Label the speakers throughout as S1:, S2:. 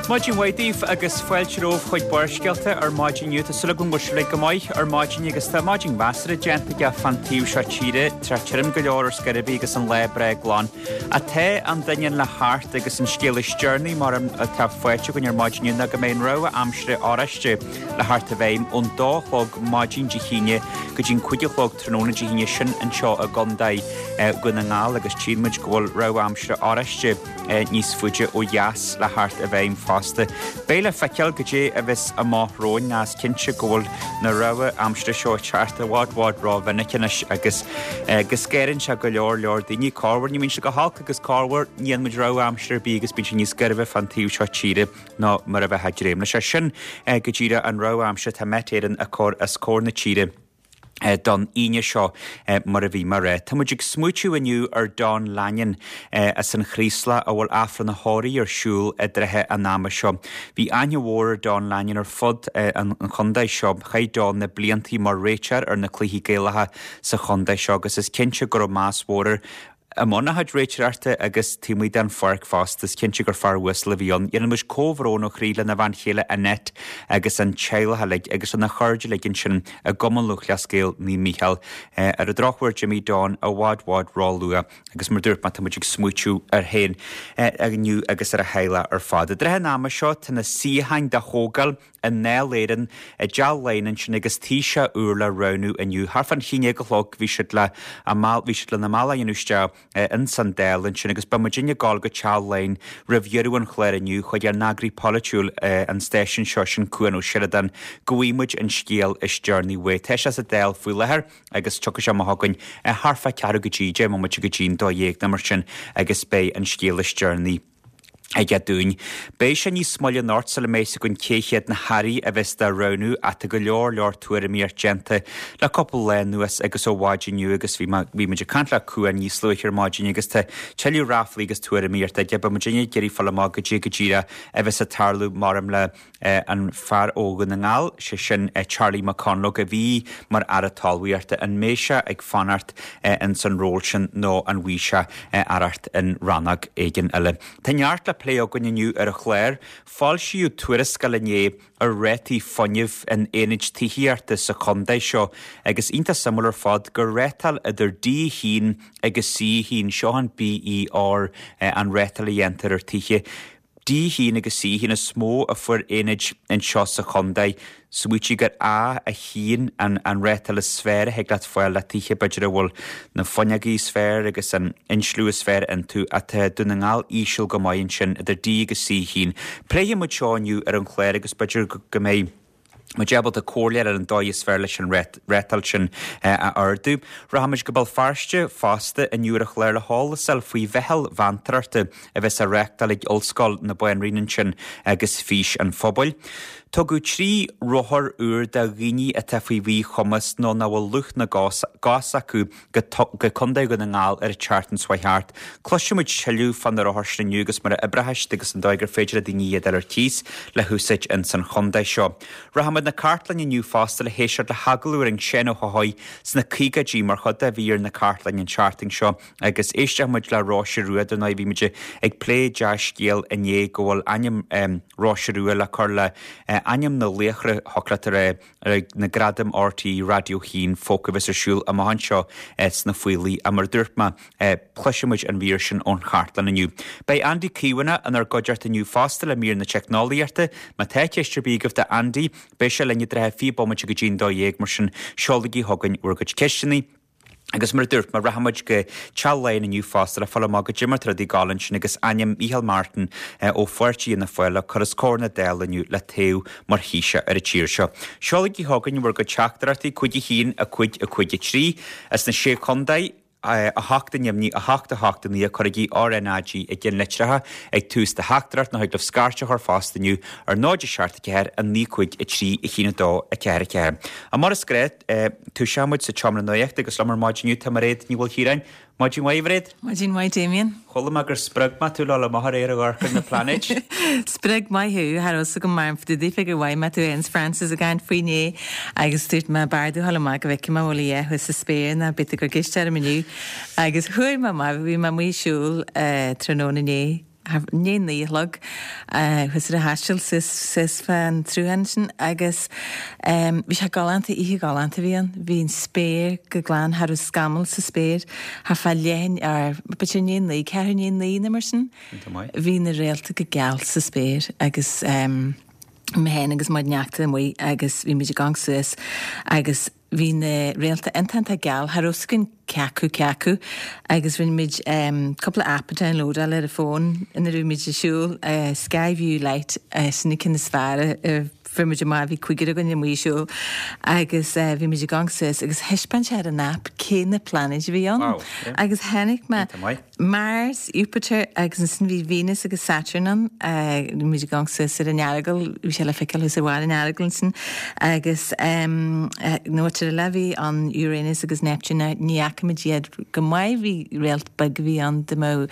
S1: Maidin mhaith daoibh agus fáilte romhaibh chuig Barrscéalta ar maidin inniu. Tá súil agam go bhfuil sibh uilig go maith ar maidin agus tá maidin mheasartha déanta aige fán taobh seo tíre, tá sé tirim go leor ar scor ar bith agus an lá breá glan. Ach tá an doineann le theacht agus an scéal is deireanaí mar atá faighte againn ar maidin inniu ná go mbeidh an rabhadh aimsire oráiste le theacht i bhfeidhm ón dó a chlog maidin Dé hAoine go dtí'n 5 a chlog tráthnóna Dé hAoine sin anseo i gContae Dhún na nGall agus tchíonn muid go bhfuil rabhadh aimsire oráiste níos faide ó dheas le theacht i bhfeidhm fosta. Beidh le feiceáil goidé a bheas amach romhainn ach is cinnte go bhfuil na rabhadh aimsire seo ag teacht i bhfad bhfad ró-mhinic anois agus go scanraíonn sé go leor leor daoine. Corruair ní bhíonn sé go holc agus corruair ní fhaigheann muid rabhadh aimsire ar bith agus bíonn sé níos gairbhe fán taobh seo tíre ná mar a bheifeá ag dréim leis. Sin go díreach an rabhadh aimsire atá Met Éireann a chur os comhair na tíre. don Aoine seo mar a bhí mé a rá. Tá muid ag smaoitiú inniu ar Don Lanyon as an Chraoslach a bhfuil Aifreann a thórraimh ar siúl i dtrátha an ama seo. Bhí aithne mhór ar Don Lanyon ar fud an chontae seo. Chaith Don na bliantaí mar réiteoir ar na cluichí Gaelacha sa chontae seo agus is cinnte go raibh meas mhór air I mbun a chuid réiteoireachta agus taobh amuigh den pháirc fosta, is cinnte gur fear uasal a bhí ann. Déanann muid comhbhrón ó chroí lena bhean chéile Annette agus an teaghlach uilig agus lena chairde uilig ansin i gCumann Lúthchleas Gael Naomh Mícheál. Ar an drochuair d'imigh Don i bhfad bhfad ró-luath agus mar dúirt mé tá muid ag smaoitiú air féin inniu agus ar a theaghlach ar fad. I dtrátha an ama seo tá na suíocháin do thógáil i nDáil Éireann i dTeach Laighean ansin agus Taoiseach úr le roghnú inniu. Thart fán 11 a chlog bhí siad le a bhí siad lena mbealach a dhéanamh isteach ins an Dáil ansin agus beidh muidinne ag gabháil go Teach Laighean roimh dheireadh an chláir inniu chuig ár n-eagraí polaitiúil an stáisiúin seo, sin Cuan Ó Seireadáin, go bhfaighidh muid an scéal is deireanaí uaidh. Tá sé sa Dáil faoi láthair agus tiocfaidh sé amach chugainn thart fá ceathrú go dtí 10 mbomaite go dtí'n 12 nó mar sin agus beidh an scéal is deireanaí aige dúinn. Beidh sé níos moille anocht sula mbeidh 'fhios againn cé hiad na hairí a bheas dá roghnú ach tá go leor leor tuairimíocht déanta le cúpla lá anuas agus ó mhaidin inniu agus bhí mé, bhí muid ag caint le Cuan níos luaithe ar maidin agus tá tuilleadh ráflaí agus tuairimíocht aige. Beidh muidinne ag iarraidh fáil amach goidé go díreach a bheas ag tarlú maram le an fear ó Dhún na nGall, sé sin Charlie McConalogue a bhí mar Aire Talmhaíochta, an mbeidh sé ag fanacht ins an ról sin nó an bhfaighidh sé aireacht in rannóg éigin eile. Tá neart le plé againn inniu ar an chlár. Foilsíodh tuarascáil inné ar rátaí fuinnimh in aonaid tithíochta sa chontae seo agus iontach suimiúil ar fad gur rátáil idir D1 agus C1, seo an BER, an rátáil a dhéantar ar tithe. D1 agus C1 is mó a fuair aonaid anseo sa chontae. Smaoitigh gur A1 an an rátáil is fearr a thig leat fáil le tithe b'fhéidir a bhfuil na fuinneogaí is fearr agus an insliú is fearr iontu ach tá Dún na nGall íseal go maith ansin idir D agus C1. Pléifidh muid seo inniu ar an chlár agus b'fhéidir go mbeidh muid ábalta comhairle ar an dóigh is fearr leis an rátáil sin a ardú. Rachaimid go Béal Feirste fosta inniu ar an chlár le heolas a fháil faoi mheitheal mheantóireachta a bheas á reáchtáil ag Ollscoil na Banríona ansin agus Fís an Phobail. Tugadh 3 rothar úr do dhaoine atá faoi mhíchumas nó nach bhfuil luch na gcos acu go Contae Dhún na nGall ar an tseachtain seo thart. Cloisfidh muid tuilleadh fá na rothair sin inniu agus mar a oibreoidh siad agus an dóigh gur féidir le daoine iad a fháil ar cíos le húsáid ins an chontae seo. Rachaidh muid na cartlainne inniu fosta le héisteacht le hagallamh a rinne Seán Ó hEochaidh sna caogaidí mar chuid de mhír na cartlainne an tseachtain seo agus éistfidh muid le Róise Rua. Dar ndóigh bhí muid ag plé dea-scéal inné go bhfuil ainm Róise Rua le cur le ainm na laochra thiocfadh leat a rá ar na Gradaim RTÉ Raidió 1 Folk a bheas ar siúl amach anseo sna Faoilí. Ach mar a dúirt mé, cloisfidh muid an mhír sin ón chartlann inniu. Beidh Andy Caomhánach inár gcuideachta inniu fosta le mír na teicneolaíochta. Má tá ceist ar bith agaibh do Andy, beidh sé linn i dtrátha 20 bomaite go dtí'n 12, mar sin seolaigí chugainn bhur gcuid ceisteanna. Agus mar a dúirt mé, rachaidh muid go Teach Laighean inniu fosta le fáil amach goidé mar tá rudaí ag gabháil ansin agus ainm Micheál Martin ó pháirtí Fhianna Fáil le cur os comhair na Dála inniu le toghadh mar Thaoiseach ar an tír seo. Seolaigí chugainn bhur gcuid teachtaireachtaí, 5 1 5 5 3, as na Sé Chontae, 8 i nDoimní, 8 8 9, cuirigí RNAG i gceann litreacha ag tús do theachtaireacht nó thig libh scairt a chur fosta inniu ar 0 7 4 9 5 3 1 2 4 4. Mar is gnách, Toiseoidh muid sa tseomra nuachta agus liom ar maidin inniu tá Mairéad Ní Mhaoilchiaráin. Maidin mhaith, a Mhairéad.
S2: Maidin mhaith, Damien.
S1: Chuala mé gur spreag mé tú le dhul amach aréir ag amharc ar na pláinéid.
S2: Spreag maith thú, cha raibh fhios agam mar fá dtaobh gur mhaith mé tú Aons Francis ag caint faoi inné agus dúirt mé b'fhearr domh dhul amach go bhfeicfidh mé an bhfuil a dhath thuas sa spéir ná beidh tú ag cur ceist orm inniu. Agus chuaigh mé amach, bhí mé amuigh ag siúl tráthnóna inné. I ndiaidh a naoi a chlog chuas ar a thaisteal suas suas fán tsruthán sin agus bhí sé galánta, oíche ghalánta a bhí ann. Bhí an spéir go glan, cha raibh scamall sa spéir thart fá leath or b'fhéidir i ndiaidh a naoi, ceathrú i ndiaidh a naoi nó mar sin. Bhí na réalta go geal sa spéir agus mé féin agus mo neachta amuigh agus bhí muid ag amharc suas agus Bhí na réalta iontach iontach geal, cha raibh 's againn cé acu cé acu agus rinne muid cúpla app a downloadáil ar an bhfón ina raibh muid ag siúl, Skyview Lite, sin an ceann is fearr a fuair muid amach, bhí cúigear againn amuigh ag siúl agus bhí muid ag amharc suas agus thaispeáin sé ar an app cé na pláinéid a bhí ann agus chonaic mé Mars, Iúpatar agus ansin bhí Venus agus Saturn ann. Bhí muid ag amharc suas ar an Earagail, bhí sé le feiceáil thuas ar bharr an Earagail ansin agus nó áit eile bhí an Uranus agus Neptune ní fhaca muid iad go maith, bhí réalt beag a bhí ann dá mbeadh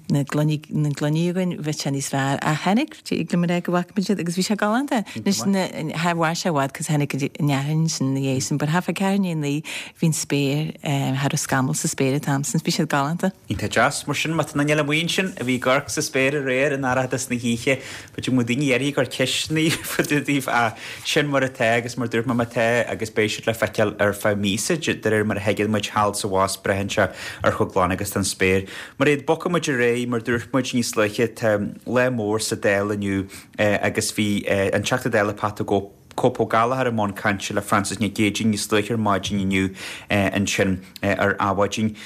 S2: na gloiní na gloiní againn bheadh sé níos fearr ach tháinig tig liom a rá go bhfaca muid iad agus bhí sé galánta. Anois cha mhair sé i bhfad cos tháinig an fhearthainn sin ina dhiaidh sin but thart fá ceathrú i ndiaidh a naoi Bhí an spéir, cha raibh scamall sa spéir an t-am sin, bhí siad galánta.
S1: Iontach deas. Mar sin, má tá aon duine amuigh ansin a bhí ag amharc sa spéir aréir in dorchadas na hoíche, b'fhéidir go mbeadh daoine áirithe ag cur ceisteanna fá dtaobh daoibh ach sin mar atá agus mar dúirt mé má tá agus beidh siad le feiceáil ar feadh míosa de réir mar a thuigeann muid thall is abhus braitheann sé ar chomh glan agus atá an spéir. Mar iad bogfaidh muid ar aghaidh mar dúirt muid níos luaithe tá lá mór sa Dáil inniu agus bhí an Teachta Dála Pat the Cope Cope Ó Gallchóir i mbun cainte le Frances Nic Géadaigh níos luaithe ar maidin inniu ansin ar Adhmhaidin.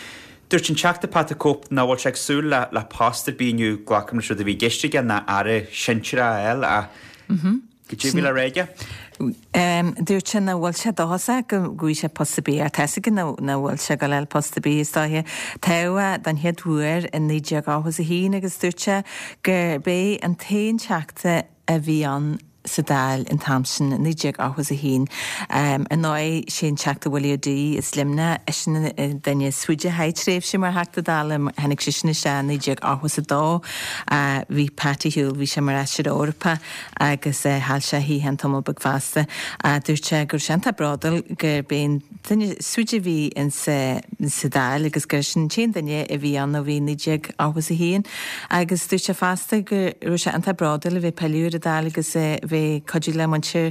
S1: Dúirt an Teachta Pat the Cope nach bhfuil sé ag súil le post ar bith inniu, glacaim leis rud a bhí i gceist aige ná aire sinsearach a fháil ach goidé a bhí le rá aige?
S2: Dúirt sé nach bhfuil sé dóchasach go bhfaighidh sé post ar bith ach tá's aige nach bhfuil sé ag dul a fháil post ar bith is dóiche. Toghadh é don chéad uair i 1981 agus dúirt sé gurb é an t-aon Teachta a bhí ann sa Dáil an t-am sin, 1981. Ar ndóigh, sé an Teachta Willie O'Dea as Luimneach, eisean an duine is faide a chaith tréimhse mar Theachta Dála, tháinig seisean isteach i 1982. Bhí Pat ar shiúl, bhí sé mar Fheisire Eorpach agus chaill sé a shuíochán tamall beag fosta. Dúirt sé go raibh sé iontach bródúil gurb é an duine is faide a bhí insa Dáil agus gur eisean an t-aon duine a bhí ann ó bhí 1981 agus dúirt sé fosta go raibh sé iontach bródúil a bheith ag pilleadh ar an Dáil agus a bheith ag cuidiú le muintir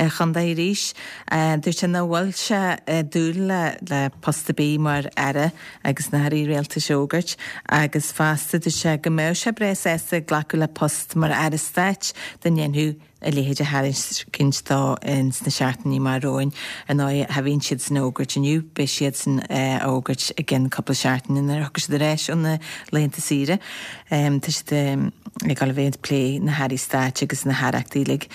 S2: an chontae arís. Dúirt sé nach bhfuil sé ag dúil le post ar bith mar Aire agus na hAirí Rialtais a fhógairt agus fosta dúirt sé go mbeadh sé breá sásta glacadh le post mar Aire Stáit dá ndéanfadh a leithéid a thairiscint dó ins na seachtainí amach romhainn. Ar ndóigh, cha bhíonn siad san a fhógairt inniu, beidh siad san a fhógairt i gcionn cúpla seachtaine nuair a thiocfaidh siad ar ais ó na laethanta saoire. Tá siad ag dul a bheith ag plé na hairí stáit agus na haireachtaí uilig.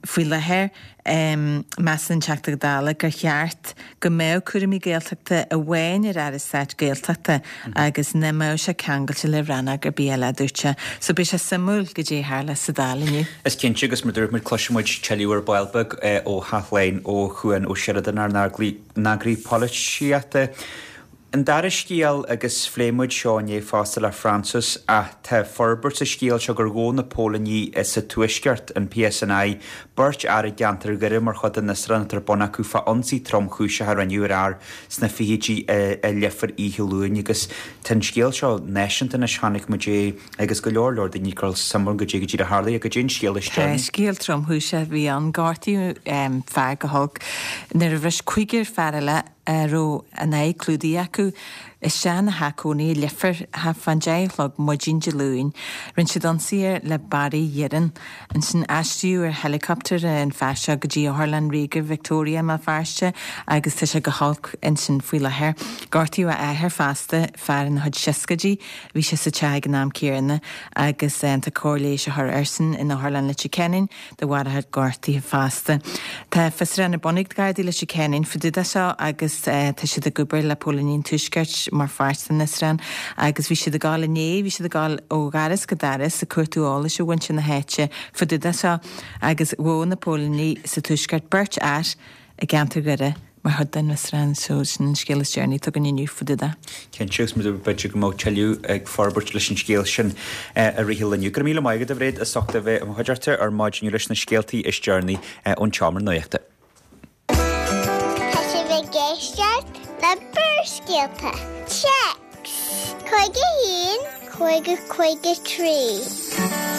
S2: Faoi láthair, measann an Teachta Dála gur cheart go mbeadh cúraimí Gaeltachta amháin ar Aire Stáit Gaeltachta agus nach mbeadh sé ceangailte le rannóg ar bith eile, a dúirt sé. So beidh sé suimiúil goidé a tharlós sa Dáil inniu.
S1: Is cinnte, agus mar dúirt muid, cloisfidh muid tuilleadh ar ball beag ó Chaitlín Ó Cuan Ó Seireadáin, ár n-eagraí polaitíochta. An dara scéal, agus phléigh muid seo inné fosta le Frances, ach tá forbairt sa scéal seo gur ghabh na póilíní sa Tuaisceart, an PSNI, beirt fhear i gceantar Dhoire mar chuid den fhiosrúchán atá ar bun acu fá ionsaí tromchúiseach a rinneadh ar fhear sna fichidí i Leifear oíche Luain agus tá an scéal seo náisiúnta anois, chonaic muid é agus go leor leor daoine ag cur suim ann goidé go díreach a tharlaigh, goidé an scéal is
S2: Tá scéal tromchúiseach a bhí ann, gortaíodh fear go holc nuair a bhris cúigear fear eile a raibh a n-aghaidh clúdaithe acu, isteach ina theach cónaí i Leifear thart fán deich a chlog maidin Dé Luain. Rinne siad ionsaí air le barraí iarainn. Ansin aistríodh ar helicopter an fear seo go dtí Otharlann Ríoga Victoria i mBéal Feirste agus tá sé go holc ansin faoi láthair. Gortaíodh a athair fosta, fear ina chuid seascaidí, bhí sé sa teach ag an am céanna agus tá cóir leighis á chur airsean in Otharlann Leitir Ceanainn. de bharr a chuid gortuithe fosta. Tá fiosrúchán ar bun ag Gardaí Leitir Ceanainn fá dtaobh de seo agus tá siad ag obair le póilíní an Tuaiscirt mar pháirt den fhiosrúchán agus bhí siad ag dul inné, bhí siad ag dul ó dhoras go doras ag cuartú eolais ó mhuintir na háite fá dtaobh de seo agus ghabh na póilíní sa Tuaisceart beirt fhear i gceantar Dhoire mar chuid den fhiosrúchán so sin an scéal is deireanaí atá againn inniu fá dtaobh de.
S1: Cinnte, agus b'fhéidir go mbeadh tuilleadh ag forbairt leis an scéal sin i rith an lae inniu. Go raibh míle maith agat, a Mhairéad, as ucht a bheith i mo chuideachta ar maidin inniu leis na scéaltaí is deireanaí ón tseomra nuachta.
S3: Tá sibh ag éisteacht le Barrscéalta. Téacs 51. 50 53.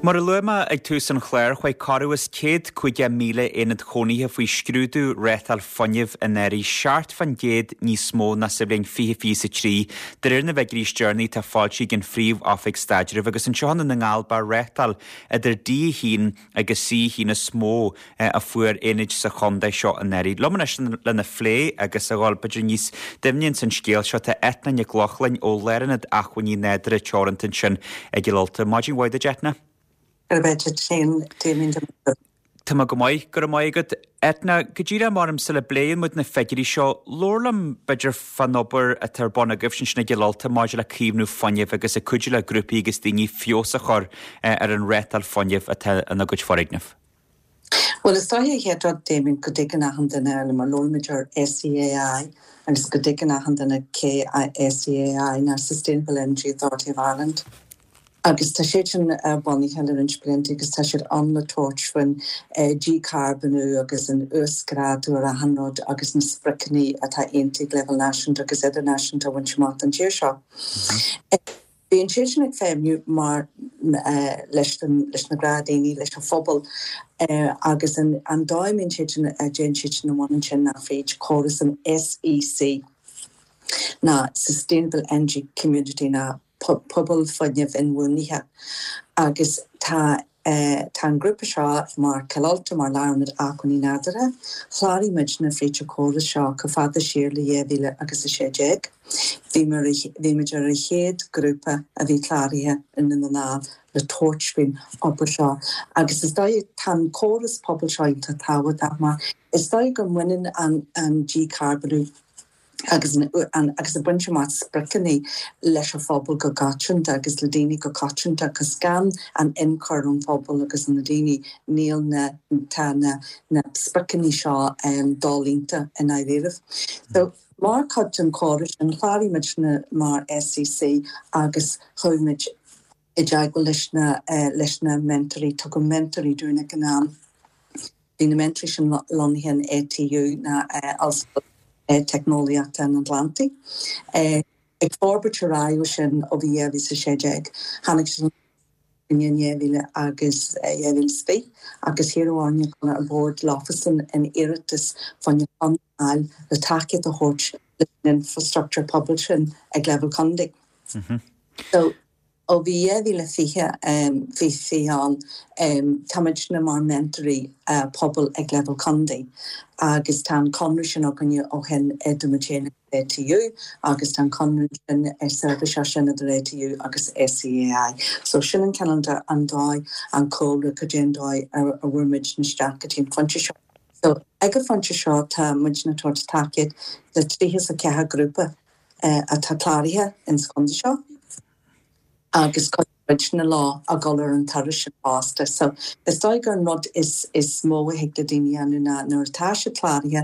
S1: Mar a luaigh mé ag tús an chláir, chuaigh corradh is 150,000 aonad chónaithe faoi scrúdú rátáil fuinnimh anuraidh, 7% níos mó ná sa bhliain 2023, de réir na bhfigiúirí is deireanaí atá foilsithe ag an Phríomh-Oifig Staidrimh. Agus anseo i nDún na nGall, ba rátáil idir D1 agus C1 is mó a fuair aonaid sa chontae seo anuraidh. Liom anois lena phlé agus a dhul b'fhéidir níos doimhne ins an scéal seo tá Eithne Nic Lochlainn ó Lárionad Acmhainní Nádúrtha Teoranta ansin i gCill Ulta. Maidin mhaith duit Eithne.
S4: Go raibh maith agat féin Damien.
S1: Tá mé go maith, go raibh maith agat. Eithne, go díreach mar sula bpléann muid na figiúirí seo, labhair liom b'fhéidir fán obair atá ar bun agaibhse ansin i gCill Ulta maidir le caomhnú fuinnimh agus ag cuidiú le grúpaí agus daoine feabhas a chur ar an rátáil fuinnimh atá ina gcuid foirgneamh.
S4: Bhuel, is dóiche an chéad rud, Damien, go dtuigeann achan duine, mar labhraímid ar SEAI agus go dtuigeann achan duine cé SEAI ná Sustainable Energy Authority of Ireland. Agus tá siad sin bunaithe le roinnt blianta agus tá siad ann le tabhairt faoin dícharbónú agus an uasghrádú ar achan rud agus na spriocanna atá aontaithe ag leibhéal náisiúnta agus idirnáisiúnta a bhaint amach don tír seo. Bíonn siad sin ag feidhmiú mar leis leis na gnáthdhaoine, leis an phobal agus an dóigh a mbíonn siad sin, a dtéann siad sin i mbun ansin ná fríd córas an SEC ná Sustainable Energy Community ná Pobal Fuinnimh Inbhuanaithe agus tá tá an grúpa seo mar Cill Ulta, mar Lárionad Acmhainní Nádúrtha, chláraigh muidne fríd an chóras seo chomh fada siar le 2016. Bhí bhí muid ar an chéad grúpa a bhí cláraithe i nDún na nGall le tabhairt faoin obair seo agus is dóigh tá an córas pobail seo iontach tábhachtach mar is dóigh go mbaineann an an dícharbónú agus agus ag baint amach spriocanna leis an phobal go coitianta agus le daoine go coitianta agus gan an ionchur ón phobal agus ó na daoine níl na tá na na spriocanna seo dolíonta i ndáiríribh. So mar chuid den chóras sin chláraigh muidne mar SEC agus chuaigh muid i dteagmháil leis na leis na mentóirí tugadh mentóirí dúinn ag an am. Bhí na mentóirí sin lonnaithe in ATU ná Ollscoil Teicneolaíochta an Atlantaigh. Ag forbairt ar aghaidh ó sin ó bhí 2016, tháinig siad in 2000 agus 2020 agus hiarradh orainne dul ar bord leofasan in iarratas fá choinne conradh a fháil le tacaíocht a thabhairt leis an infrastructúr pobail sin ag leibhéal contae. So. Ó bhí 2020, 20 ann, tá muidne mar mentóirí pobail ag leibhéal contae agus tá an conradh sin againne ó shin idir muid féin agus ATU agus tá an conradh sin seirbhíseach sin idir ATU agus SEAI. So sin an cineál de an dóigh, an cúlra, cad é an dóigh a bhfuair muidne isteach go dtí an phointe seo. So ag an phointe seo tá muidne ag tabhairt tacaíocht do 34 grúpa atá cláraithe ins chontae seo. agus cuidíonn muidne leo a dhul ar an turas sin fosta. So, is dóigh gur an rud is is mó a thig le daoine a dhéanamh ná nuair atá siad cláraithe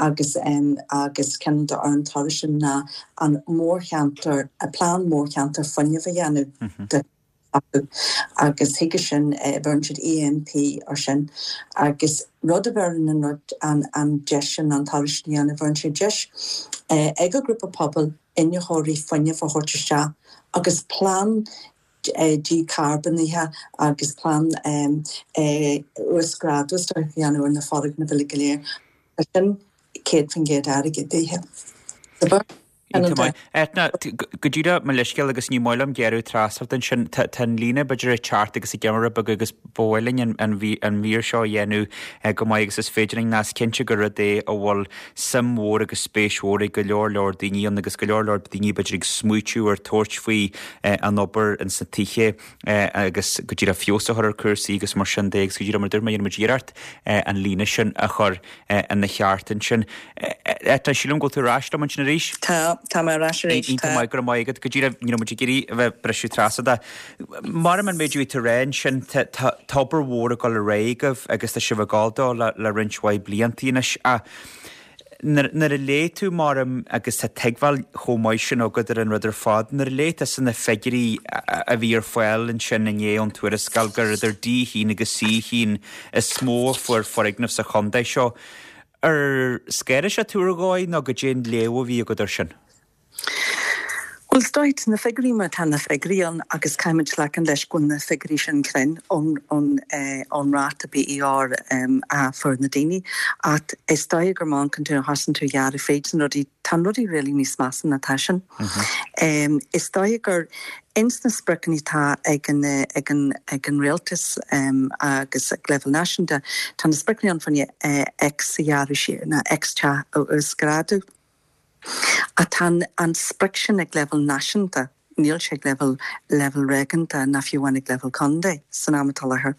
S4: agus em agus cineál de ar an turas sin ná an mórcheantar, plean mórcheantar fuinnimh a dhéanamh de acu agus chuige sin bheireann siad EMP ar sin agus rud a bheireann an rud an an deis sin an turas sin a dhéanamh bheireann sé deis ag an ghrúpa pobail iniúchóirí fuinnimh a thabhairt isteach agus plean dícharbónaithe agus plean uasghrádú a dhéanamh ar na foirgnimh uilig go léir. Tá sin 100% airgeadaithe.
S1: Iontach maith. Eithne, go díreach mo leithscéal agus ní maith liom gearradh trasna ort ansin, tá an líne b'fhéidir ag teacht agus ag imeacht rud beag agus ba mhaith linn an mhír seo a dhéanamh go maith agus is féidir linn, is cinnte gur rud é a bhfuil suim mhór agus spéis mhór ag go leor leor daoine ann agus go leor leor daoine b'fhéidir ag smaoitiú ar tabhairt faoi an obair ins na tithe agus go díreach feabhas a chur ar cúrsaí agus mar sin de agus go díreach mar dúirt mé dhéanfaidh muid iarracht an líne sin a chur ina cheart ansin. Eithne, sílim go bhfuil tú ar ais liom ansin arís?
S4: Tá, tá mé ar ais arís, tá.
S1: Iontach maith, go raibh maith agat. Go díreach, ní raibh muid ag iarraidh a bheith ag briseadh trasna ort. Mar an méid a bhí tú a rá ansin, tá obair mhór ag dul ar aghaidh agaibh agus tá sibh ag gabháil dó le roinnt mhaith blianta anois. Ach nuair a léigh tú, maram, agus tá tuigbheáil chomh maith sin agat ar an rud ar fad, nuair a léigh tusa na figiúirí a bhí ar fáil ansin inné ón tuarascáil gur idir D1 agus C1 is mó a fuair foirgnimh sa chontae seo, ar scanraigh sé tú ar dhóigh nó goidé an léamh a bhí agat air sin?
S4: Bhuel, is dóigh, tá na figiúirí mar tá na figiúirí ann agus caithfimid glacann leis go bhfuil na figiúirí sin cruinn ón ón ráta BER a fuair na daoine. Ach is dóigh gur má amharcann tú a thosaíonn tú a ghearradh fríd na rudaí, tá na rudaí really níos measa ná tá sin. Is dóigh gur ins na spriocanna atá ag an ag an ag an rialtas agus ag leibhéal náisiúnta, tá na spriocanna ann fá choinne X a ghearradh siar, nó X teach a uasghrádú. Ach tá an sprioc sin ag leibhéal náisiúnta, níl sé ag leibhéal leibhéal réigiúnta ná fiú amháin ag leibhéal contae san am atá i láthair.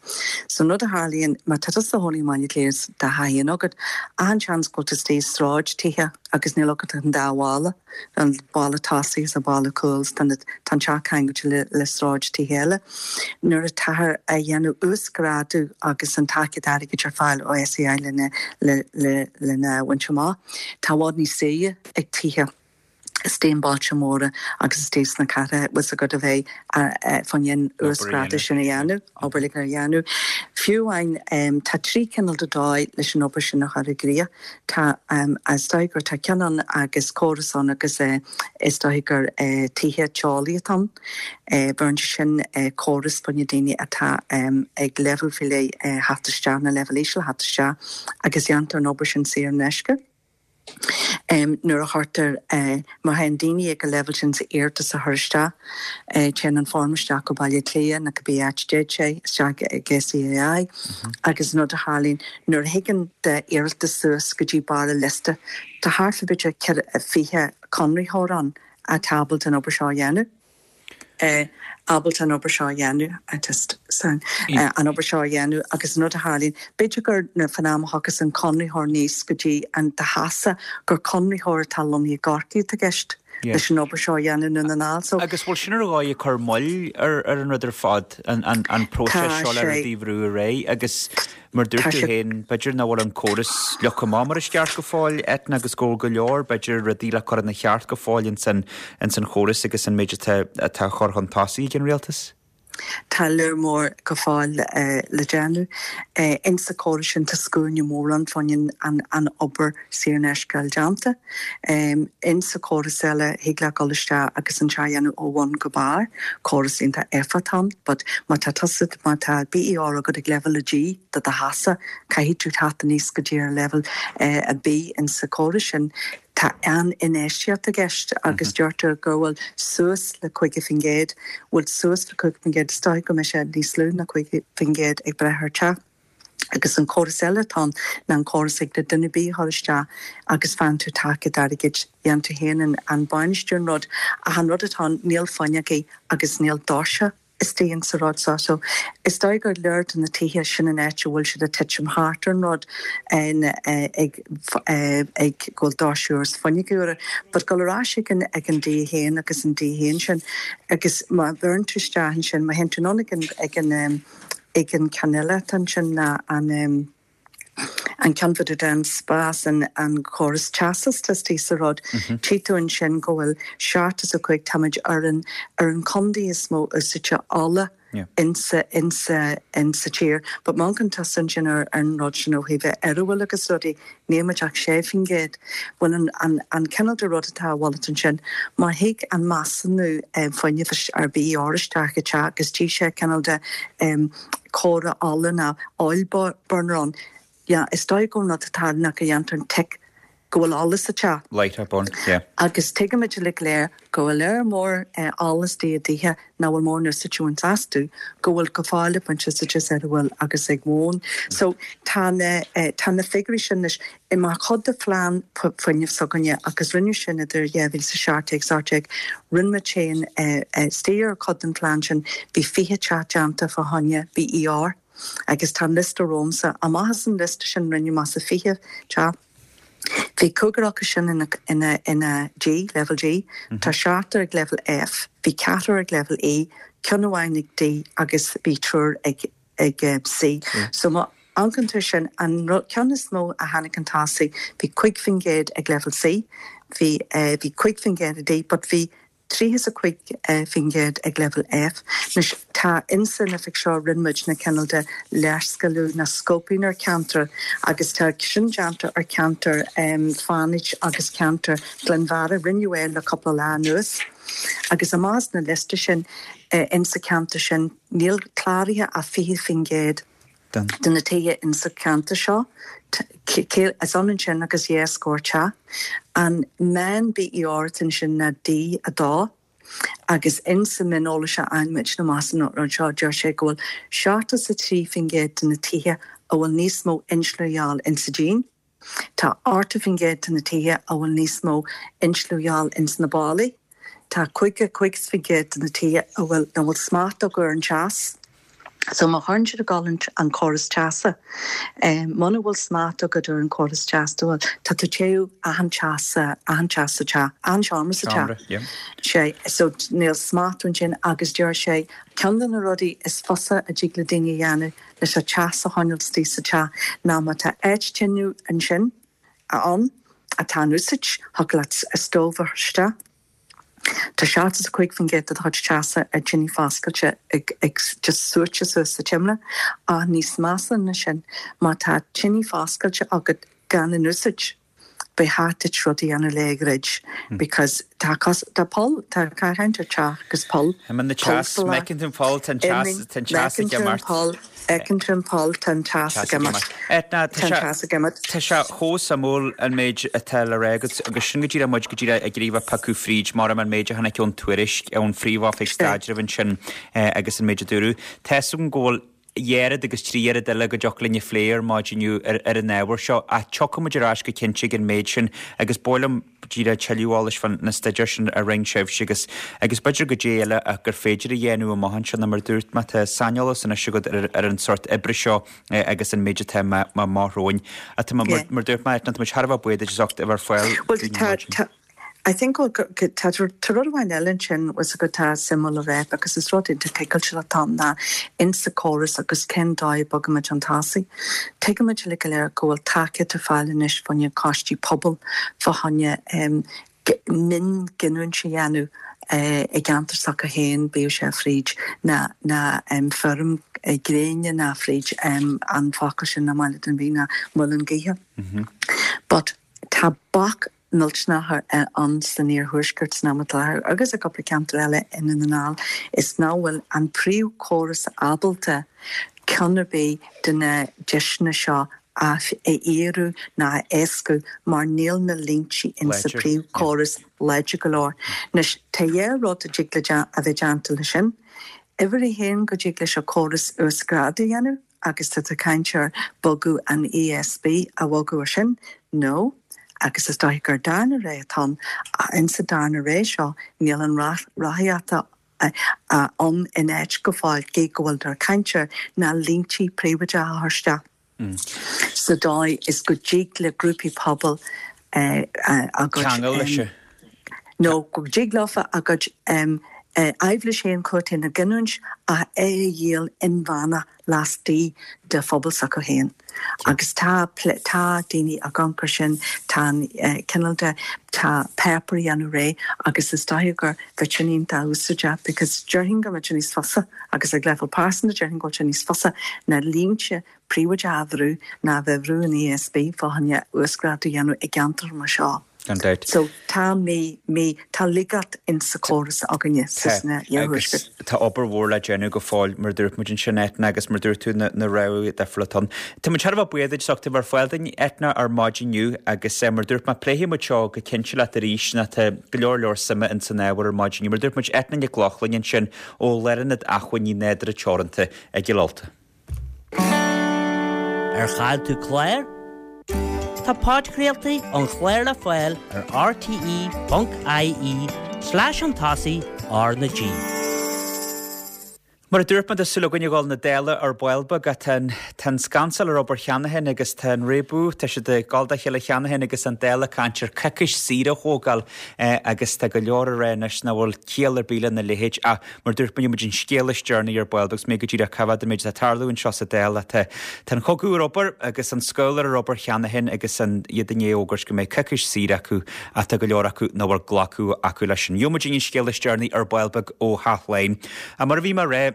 S4: So an rud a tharlaíonn, má tá tusa i do chónaí i mBaile Átha Cliath is do theach féin agat, achan seans go bhfuil tú istigh i sráid tithe agus níl agat ach an dá bhalla, an balla tosaigh is an balla cúil is tá an teach ceangailte le le sráid tithe eile. Nuair atáthar a dhéanamh uasghrádú agus an tacaíocht airgid ar fáil ó SEAI lena le le lena bhaint amach, Tá i bhfad níos saoire ag tithe istigh i mbailte móra agus istigh sna cathracha, bhfuil 's agat a bheith fá choinne an uasghrádú sin a dhéanamh, obair a dhéanamh. Fiú amháin, tá trí chineál de dóigh leis an obair sin a chur i gcrích. Tá, is dóigh gur tá ceann ann agus córas ann agus is dóigh gur tithe teolaí atá ann. Bheireann sé sin córas fá choinne daoine atá ag leibhéal faoi leith theacht isteach, nó leibhéal íseal theacht isteach agus déantar an obair sin saor in aisce. Nuair a chuirtear, má théann daoine ag an leibhéal sin sa iarratas a chur isteach, téann an form isteach go Baile Átha Cliath nó cibé áit a dtéann sé isteach ag SEAI agus an rud a tharlaíonn nuair a thigeann d'iarratas suas go dtí barr an liosta, tá thart fá b'fhéidir 20 conraitheoir ann atá ábalta an obair seo a dhéanamh, ábalta an obair seo a dhéanamh, I just, sorry, an obair seo a dhéanamh agus an rud a tharlaíonn, b'fhéidir gur nuair fan am a thiocfas an conraitheoir aníos go dtí an do theachsa, gur conraitheoir atá lonnaithe i gCorcaigh atá i gceist leis an obair seo a dhéanamh i nDún na nGall. So.
S1: Agus bhfuil sin ar dhóigh ag cur moill ar ar an rud ar fad, an an an próiseas seo le rudaí a bhrú ar aghaidh agus Mar dúirt tú féin, b'fhéidir nach bhfuil an córas leagtha amach mar is ceart go fóill, Eithne, agus go bhfuil go leor, b'fhéidir, rudaí le cur ina cheart go fóill ins an chóras agus an méid atá á chur chun tosaigh ag an rialtas.
S4: Tá lear mór go fóill le déanamh. Insa chóras sin tá scuaine mór ann fá choinne an obair saor in aisce a fháil déanta. Insa chóras eile thig leat dul isteach agus an teach a dhéanamh ó bhun go barr, córas iontach éifeachtach ann, but má tá tusa, má tá BER agat ag leibhéal a D do do theachsa, caithfidh tú teacht aníos go dtí ar leibhéal a B insa chóras sin. Tá an-infheistíocht i gceist agus deirtear go bhfuil suas le 50%, bhfuil suas le 50%, is dóigh go mbeidh sé níos lú ná 50% ag brath ar teach. Agus an córas eile atá ann ná an córas ag le duine ar bith a chur isteach agus faigheann tú tacaíocht airgid, dhéan tú féin an bainistiú an rud ach an rud atá ann níl fuinneogaí agus níl doirse istigh insa rud so. So is dóigh gur lear de na tithe sin an áit a bhfuil siad ag titim thart ar an rud ag ag go bhfuil doirse úr is fuinneogaí úra. But dul ar ais ag an ag an D1 agus an D1 sin agus má bheireann tú isteach ansin má théann tú anonn ag an ag an Ag an ceann eile atá ansin ná an an ceann fá dtaobh den spás, an an córas teasa atá istigh sa rud. Tchí tú ansin go bhfuil 75, táimid ar an ar an contae is mó úsáidte ola insa insa insa tír. But má amharcann tusa ansin ar ar an rud sin ó thaobh Eireabhall agus rudaí, Níl muid ach 6%. Bhuel an, an, an cineál de rud atá i bhfolach ansin, má thig an measúnú fuinnimh ar BER isteach i teach agus tchí sé cineál de comhartha ola nó oil burner ann, yeah, is dóigh go an rud atá ann ná go dhéantar an tic go bhfuil ola sa teach.
S1: Light up on, yeah.
S4: Agus tuigimid uilig go léir go bhfuil lear mór ola istigh i dtithe nach bhfuil mórán úsáid á bhaint astu, go bhfuil go fóill ag baint úsáid as ar a bhfuil agus ag móin. So tá na, tá na figiúirí sin anois i mar chuid de phlean fuinnimh s'againne agus rinneadh sin idir 2017 's 18, rinne muid féin istigh ar chuid den phlean sin, bhí 20 teach déanta fá choinne BER agus tá an liosta romhamsa. Amach as an liosta sin rinneadh amach sa 20 teach. Bhí cúigear acu sin ina ina ina G, level G. Tá seachtar ag level F, bhí ceathrar ag level E, ceann amháin ag D agus bhí triúr ag ag C. So má amharcann tú sin, an ceann is mó a tháinig chun tosaigh, bhí 5% ag level C, bhí bhí 5% ag D but bhí 35% ag leibhéal F. Anois, tá insa oifig seo, rinne muid na cineál de léarscáiliú ná scoping ar cheantar agus tá sin déanta ar cheantar Fánaid agus ceantar Ghleann Bheara. Rinneadh é le cúpla lá anuas. Agus amach as na liosta sin insa cheantar sin níl cláraithe ach 20% de na tithe insa cheantar seo. Is ionann sin agus dhá scór teach. An meán BER atá ansin ná D2. Agus insa mhioneolas a fhaigheann muid amach as an rud seo, deir sé go bhfuil 73% de na tithe a bhfuil níos mó insliú a dhíobháil insa díon. Tá 80% de na tithe a bhfuil níos mó insliú a dhíobháil ins na ballaí. Tá 55% de na tithe a bhfuil nach bhfuil smacht acu ar an teas. So má chuireann siad ag dul an córas teasa, muna bhfuil smacht agat ar an córas teasa, bhuel, tá tú téamh achan teach sa, achan teach sa teach, achan seomra sa teach. Yeah. Sé, so níl smacht ansin agus deir sé, ceann de na rudaí is fusa a dtig le daoine a dhéanamh leis an teas a choinneáil istigh sa teach ná má tá áit tine ansin, ann, atá in úsáid, thiocfadh leat stove a chur isteach. Tá 75% de do chuid teasa ar tine foscailte ag just suaite suas sa tsimléar, ach níos measa ná sin, má tá tine foscailte agat gan in úsáid, ba cheart duit rud a dhéanamh le a dhruid because tá cos, tá poll, tá caint ar teach agus poll,
S1: Imíonn an teas, feiceann tú an poll, tá an teas, tá an teas ag imeacht.
S4: Feiceann tú an poll, tá an teas ag imeacht.
S1: Etna, tá sé tá sé chomh suimiúil an méid atá le rá agat agus sin go díreach muid go díreach ag iarraidh a bheith ag piocadh fríd mar an méid a tháinig ón tuairisc ón Phríomh-Oifig Staidrimh ansin agus an méid a dúradh. Tá 'fhios agam go bhfuil oiread agus trí oiread eile go dtiocfadh linn a phlé ar maidin inniu ar an ábhar seo ach tiocfaidh muid ar ais go cinnte ag an méid sin agus ba mhaith liom díreach tuilleadh eolais fá na staidéir sin a rinne sibhse agus agus b'fhéidir goidé eile gur féidir a dhéanamh amach anseo nó mar a dúirt mé tá saineolas anois agat ar ar an sórt oibre seo agus an méid atá amach romhainn. Tá mar mar dúirt mé tá muid thar a bheith buíoch duit as ucht a bheith ar fáil
S4: dúinn ar maidin. I think go tá tá rud amháin eile ansin was go tá suimiúil a rá because is rud iontach tuigeáilte atá ann ná insa córas agus cén dóigh a bogaimid chun tosaigh. Tuigimid uilig go léir go bhfuil tacaíocht ar fáil anois fá choinne coistí pobail, fá choinne mionghiniúint a dhéanamh i gceantar s'acu féin, bíodh sé fríd na na feirm gréine ná fríd an focal sin nach maith le duine ar bith ná muileann gaoithe. But tá bac millteanach ann san iarthuaisceart san am atá i láthair agus i gcúpla ceantar eile i nDún na nGall is nach bhfuil an príomhchóras ábalta ceann ar bith de na deiseanna seo a fhíorú ná a éascú mar níl na línte insa príomhchóras láidir go leor. Anois tá dhá rud a dtig le a bheith déanta le sin. Uimhir a haon go dtig leis an chóras uasghrádú a dhéanamh. Agus tá tú ag caint ar bogadh an ESB a bhogadh ar sin, nó, agus is dóiche gur darna rogha atá ann, ach insa darna rogha seo níl an ráthaíocht ann in áit go fóill, gidh go bhfuiltear ag caint air, ná línte príobháideacha a chur isteach sa dóigh is go dtig le grúpaí pobail a gcuid.
S1: Ceangal leis.
S4: Nó go dtig leofa a gcuid aibhléis féin chucu féin a ghiniúint ach é a dhíol inmheánach laistigh de phobal s'acu féin. Agus tá tá daoine ag amharc air sin, tá an cineál de, tá páipéar a dhéanamh réidh agus is dóiche gur bheadh sin iontach úsáideach because déarfainn go mbeadh sé níos fusa agus ag leibhéal pearsanta déarfainn go bhfuil sé níos fusa na línte príobháideacha a bhrú ná a bheith ag brú an ESB fá choinne uasghrádú a dhéanamh i gceantar mar seo.
S1: Gan dabht.
S4: So tá mí, mí, tá laigeacht in sa chóras againne sa
S1: Tá, agus tá obair mhór le déanamh go fóill, mar a dúirt muid ansin, Eithne, agus mar a dúirt tú, na, na rogha difriúla atá ann. Tá muid thar a bheith buíoch duit as ucht a bheith ar fáil dúinn, Eithne, ar maidin inniu, agus mar a dúirt mé, pléifidh muid seo go cinnte leat arís, nó tá go leor leor suime in san ábhar ar maidin inniu. Mar a dúirt muid, Eithne Nic Lochlainn ansin ó Lárionad Acmhainní Nádúrtha Teoranta i gCill Ulta.
S5: Ar chaill tú clár? Tá podchraoltaí an chláir le fáil ar rte.ie slash chun tosaigh R na G.
S1: Mar a dúirt mé, tá súil againn a dhul na Dála ar ball beag ach tá an, tá an scansáil ar obair cheana féin agus tá an réabadh, tá siad ag dul dá chéile cheana féin agus an Dáil ag caint ar coicís saoire a thógáil agus tá go leor ag rá anois nach bhfuil ciall ar bith lena leithéid ach Mar a dúirt mé, gheobhaidh muid an scéal is deireanaí ar ball agus mé go díreach cá bhfad an méid atá ag tarlú anseo sa Dáil. Tá an cogadh ar obair agus an scabhal ar obair cheana féin agus an iad i ndiaidh fhógairt go mbeidh coicís saoire acu ach tá go leor acu nach bhfuil glacadh acu leis sin. Gheobhaidh muid an scéal is deireanaí ar ball beag ó Theach Laighean. Mar a bhí mé a rá.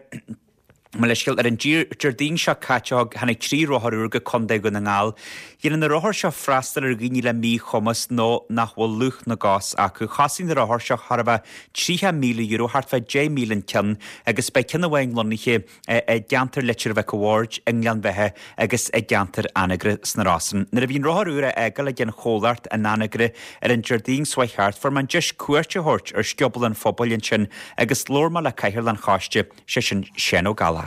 S1: Mo leithscéal, ar an Déardaoin seo caite thug tháinig 3 rothar úr go Contae Dhún na nGall. Dhéanann na rothair seo freastal ar dhaoine le míchumas nó nach bhfuil lúth na gcos acu. Chosain na rothair seo thart fá €30,000, thart fá 10,000 an ceann, agus beidh ceann amháin lonnaithe i gceantar Leitir Mhic a' Bhaird, i nGleann Bheatha agus i gceantar Anagaire sna Rosann. Nuair a bhí an rothar úr á fhágáil ag an chomhlacht in Anagaire ar an Déardaoin seo chuaigh thart, fuair mé an deis cuairt a thabhairt ar scioból an phobail ansin agus labhair mé le Cathaoirleach an Choiste, sé sin Seán Ó Gallchóir.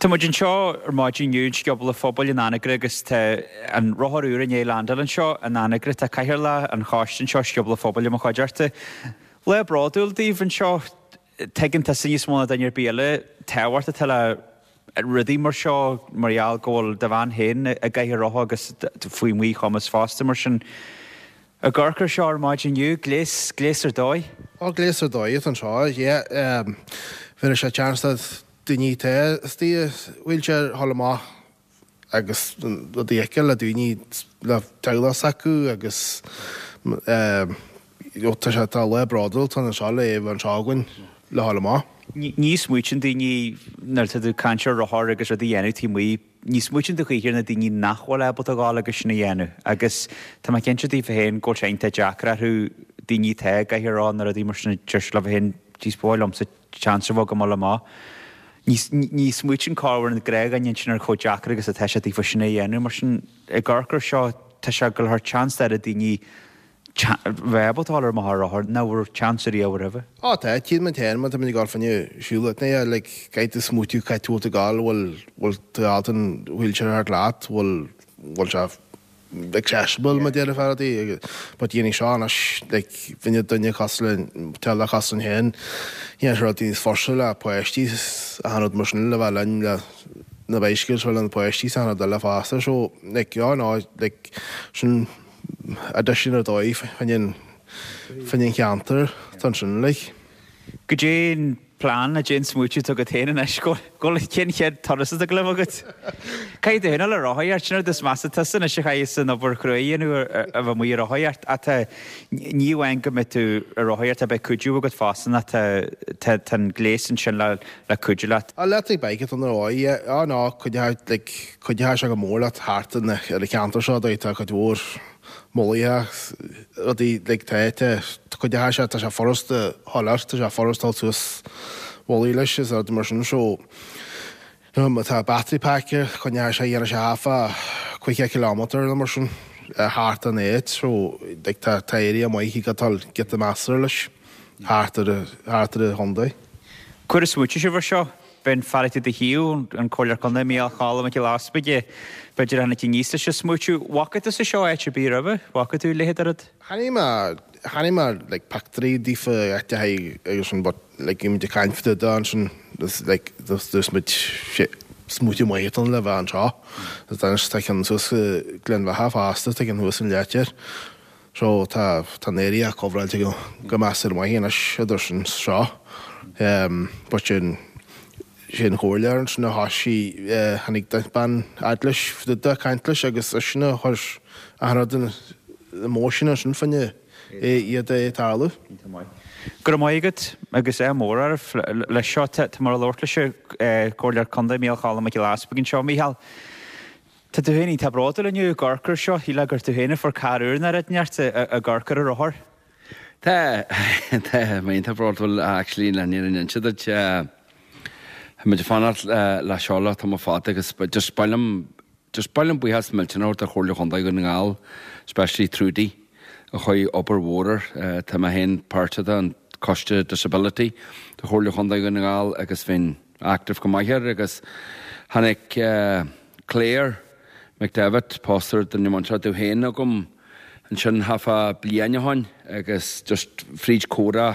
S1: Tá muid anseo ar maidin inniu in Scioból an Phobail in Anagaire agus tá an rothar úr i ndiaidh landáil anseo in Anagaire. Tá Cathaoirleach an Choiste anseo, Scioból an Phobail i mo chuideachta. Lá bródúil daoibh anseo. Tuigeann tusa níos mó ná duine ar bith eile tábhacht atá le rudaí mar seo mar gheall go bhfuil do bhean féin i gcathaoir rotha agus faoi mhíchumas fosta mar sin. Ag amharc ar seo ar maidin inniu, gléas, gléas ar dóigh.
S6: Ó, gléas ar dóigh atá anseo, yeah. Bhéarfaidh sé chance do daoine atá istigh i wheelchair a dhul amach agus rudaí a fheiceáil le daoine le teaghlach s'acu agus you know tá sé, tá lá bródúil atá anseo le é a bheith anseo againn le dhul amach.
S1: Ní smaoitíonn daoine nuair atá tú ag caint ar rothar agus rudaí a dhéanamh taobh amuigh, Ní smaoitíonn tú choíche ar na daoine nach bhfuil ábalta a dhul agus sin a dhéanamh agus tá mé cinnte daofa féin go bhfuil sé iontach deacair orthu daoine atá i gcathaoir rotha nó rudaí mar sin a deir siad leo féin jeez ba mhaith liomsa chance a bheith agam dul amach. Ní ní smaoitíonn corruair an gnáthdhuine ansin ar chomh deacair agus atá sé daofa sin a dhéanamh mar sin ag amharc ar seo tá sé ag dul a thabhairt chance d'oiread daoine bheith ábalta dul amach ar rothar nach raibh chance ariamh roimhe.
S6: Á tá, tchíonn muid féin má tá muid ag dul fá choinne siúl at night, like caithfidh tú smaoitiú cá bhfuil tú ag dul, bhfuil, bhfuil tú ábalta an wheelchair a thabhairt leat, bhfuil, bhfuil sé accessible mar déarfá rudaí agus but dhéanfaidh seo anois like bhí duine cosúil le teaghlach cosúil linn féin, dhéanfaidh sé rudaí níos fusa le páistí is achan rud mar sin le bheith linn le na bicycles le na páistí is achan rud eile fosta so like oh no like sin addition ar dóigh fá choinne an cheantar atá ansin like.
S1: Goidé an plean, goidé an smaoitiú atá agat féin anois, go bhfuil cén chéad turas atá ag dul a bheith agat? Caithfidh tú féin a dhul ag rothaíocht, sin an rud is measa tusa anois a chaithfeas an obair chrua a dhéanamh a bheith amuigh ag rothaíocht ach tá, ní amháin go mbeidh tú ag rothaíocht, beidh cuidiú agat fosta nó tá, tá, tá an gléas ansin le, le cuidiú leat.
S6: Electric bike atá ann ar ndóigh, yeah, ah no, cuideoidh, like, cuideoidh sé go mór leat thart ar an cheantar seo, tá cuid mhór mullaigh, rudaí, like, tá, tá, cuideoidh sé, tá sé furasta a dhul air, tá sé furasta a dhul suas mullaigh leis is rudaí mar sin, so, you know, má tá battery pack air, coinneoidh sé, dhéanfaidh sé half a 50 kilometre nó mar sin thart an áit, so, like, tá, tá area maith ag dul giota measartha leis. thart ar an chontae.
S1: Conas a smaointigh sibh ar seo? B'in fear atá i do thaobh, an Comhairleoir Contae Mícheál Choilm Mac Giolla Easpaig, b'fhéidir a tháinig aníos leis an smaoitiú. Bhfaca tusa seo áit ar bith roimhe? Bhfaca tú a leithéid de rud?
S6: Chonaic mé, chonaic mé like pictiúirí daofa áiteacha agus sin but like bhí muid ag caint fá dtaobh de ansin is like dúirt muid shit smaoitiú maith atá ann le bheith anseo. Is anois tá ceann suas i Gleann Bheatha fosta, tá ceann thuas in Leitir. So tá tá an area covráilte go go measartha maith anois idir sin seo. But sin sin chomhairleoir ansin a thoisigh tháinig bean fhad leis fá caint leis agus eisean a chuir achan rud in motion ansin fá choinne iad a tarlú.
S1: Go raibh maith agat agus ádh mór oraibh leis seo. Tá mé ag labhairt leis an Comhairleoir Contae Mícheál Choilm Mac Giolla Easpaig anseo. Mícheál, Tá tú féin iontach bródúil inniu ag amharc ar seo, shílfeá gur tú féin a fuair carr úr nó rud inteacht ag amharc ar an rothar.
S7: Tá, tá mé iontach bródúil actually le fírinne a inse duit. Tá muid ag fanacht le seo le tamall fada agus just ba mhaith liom, just ba mhaith liom buíochas millteanach a thabhairt do Chomhairle Chontae Dhún na nGall, especially Trudy a chuir obair mhór air. Tá mé féin páirteach den Coiste Disability do Chomhairle Chontae Dhún na nGall agus bhínn active go maith air agus tháinig Claire McDevitt, pósta ar duine muinteartha domh féin chugam ansin thart fá bliain ó shoin agus just fríd comhrá,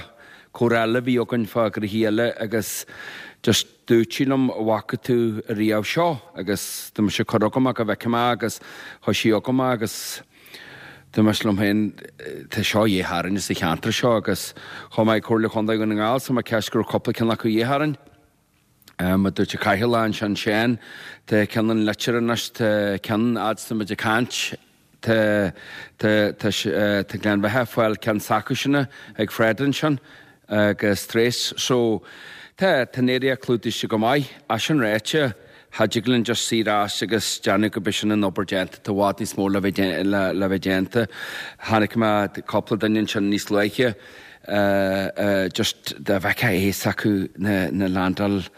S7: comhrá eile a bhí againn fá ghnoithí eile agus just dúirt sí liom an bhfaca tú ariamh seo agus dúirt mise cuir chugam é go bhfeicfidh mé agus chuir sí chugam é agus dúirt mise liom féin tá seo a dhíth orainn sa cheantar seo agus chuaigh mé ag Comhairle Chontae Dhún na nGall so mé ceist go raibh cúpla ceann acu a dhíth orainn. Mar a dúirt an Cathaoirleach ansin Seán, tá ceann in Leitir anois, tá ceann fhad is tá muid ag caint, tá, tá, tá, tá Gleann Bheatha ag fáil ceann s'acusan ag Fred ansin agus tar éis, so. Tá, tá an area clúdaithe go maith. É sin ráite, cha dtig linn just suí ar ais agus déanamh go b'shin an obair déanta, tá i bhfad níos mó le bheith le bheith déanta. Chonaic mé cúpla duine ansin níos luaithe just dá bhfeicfeá a fhios acu na na landáil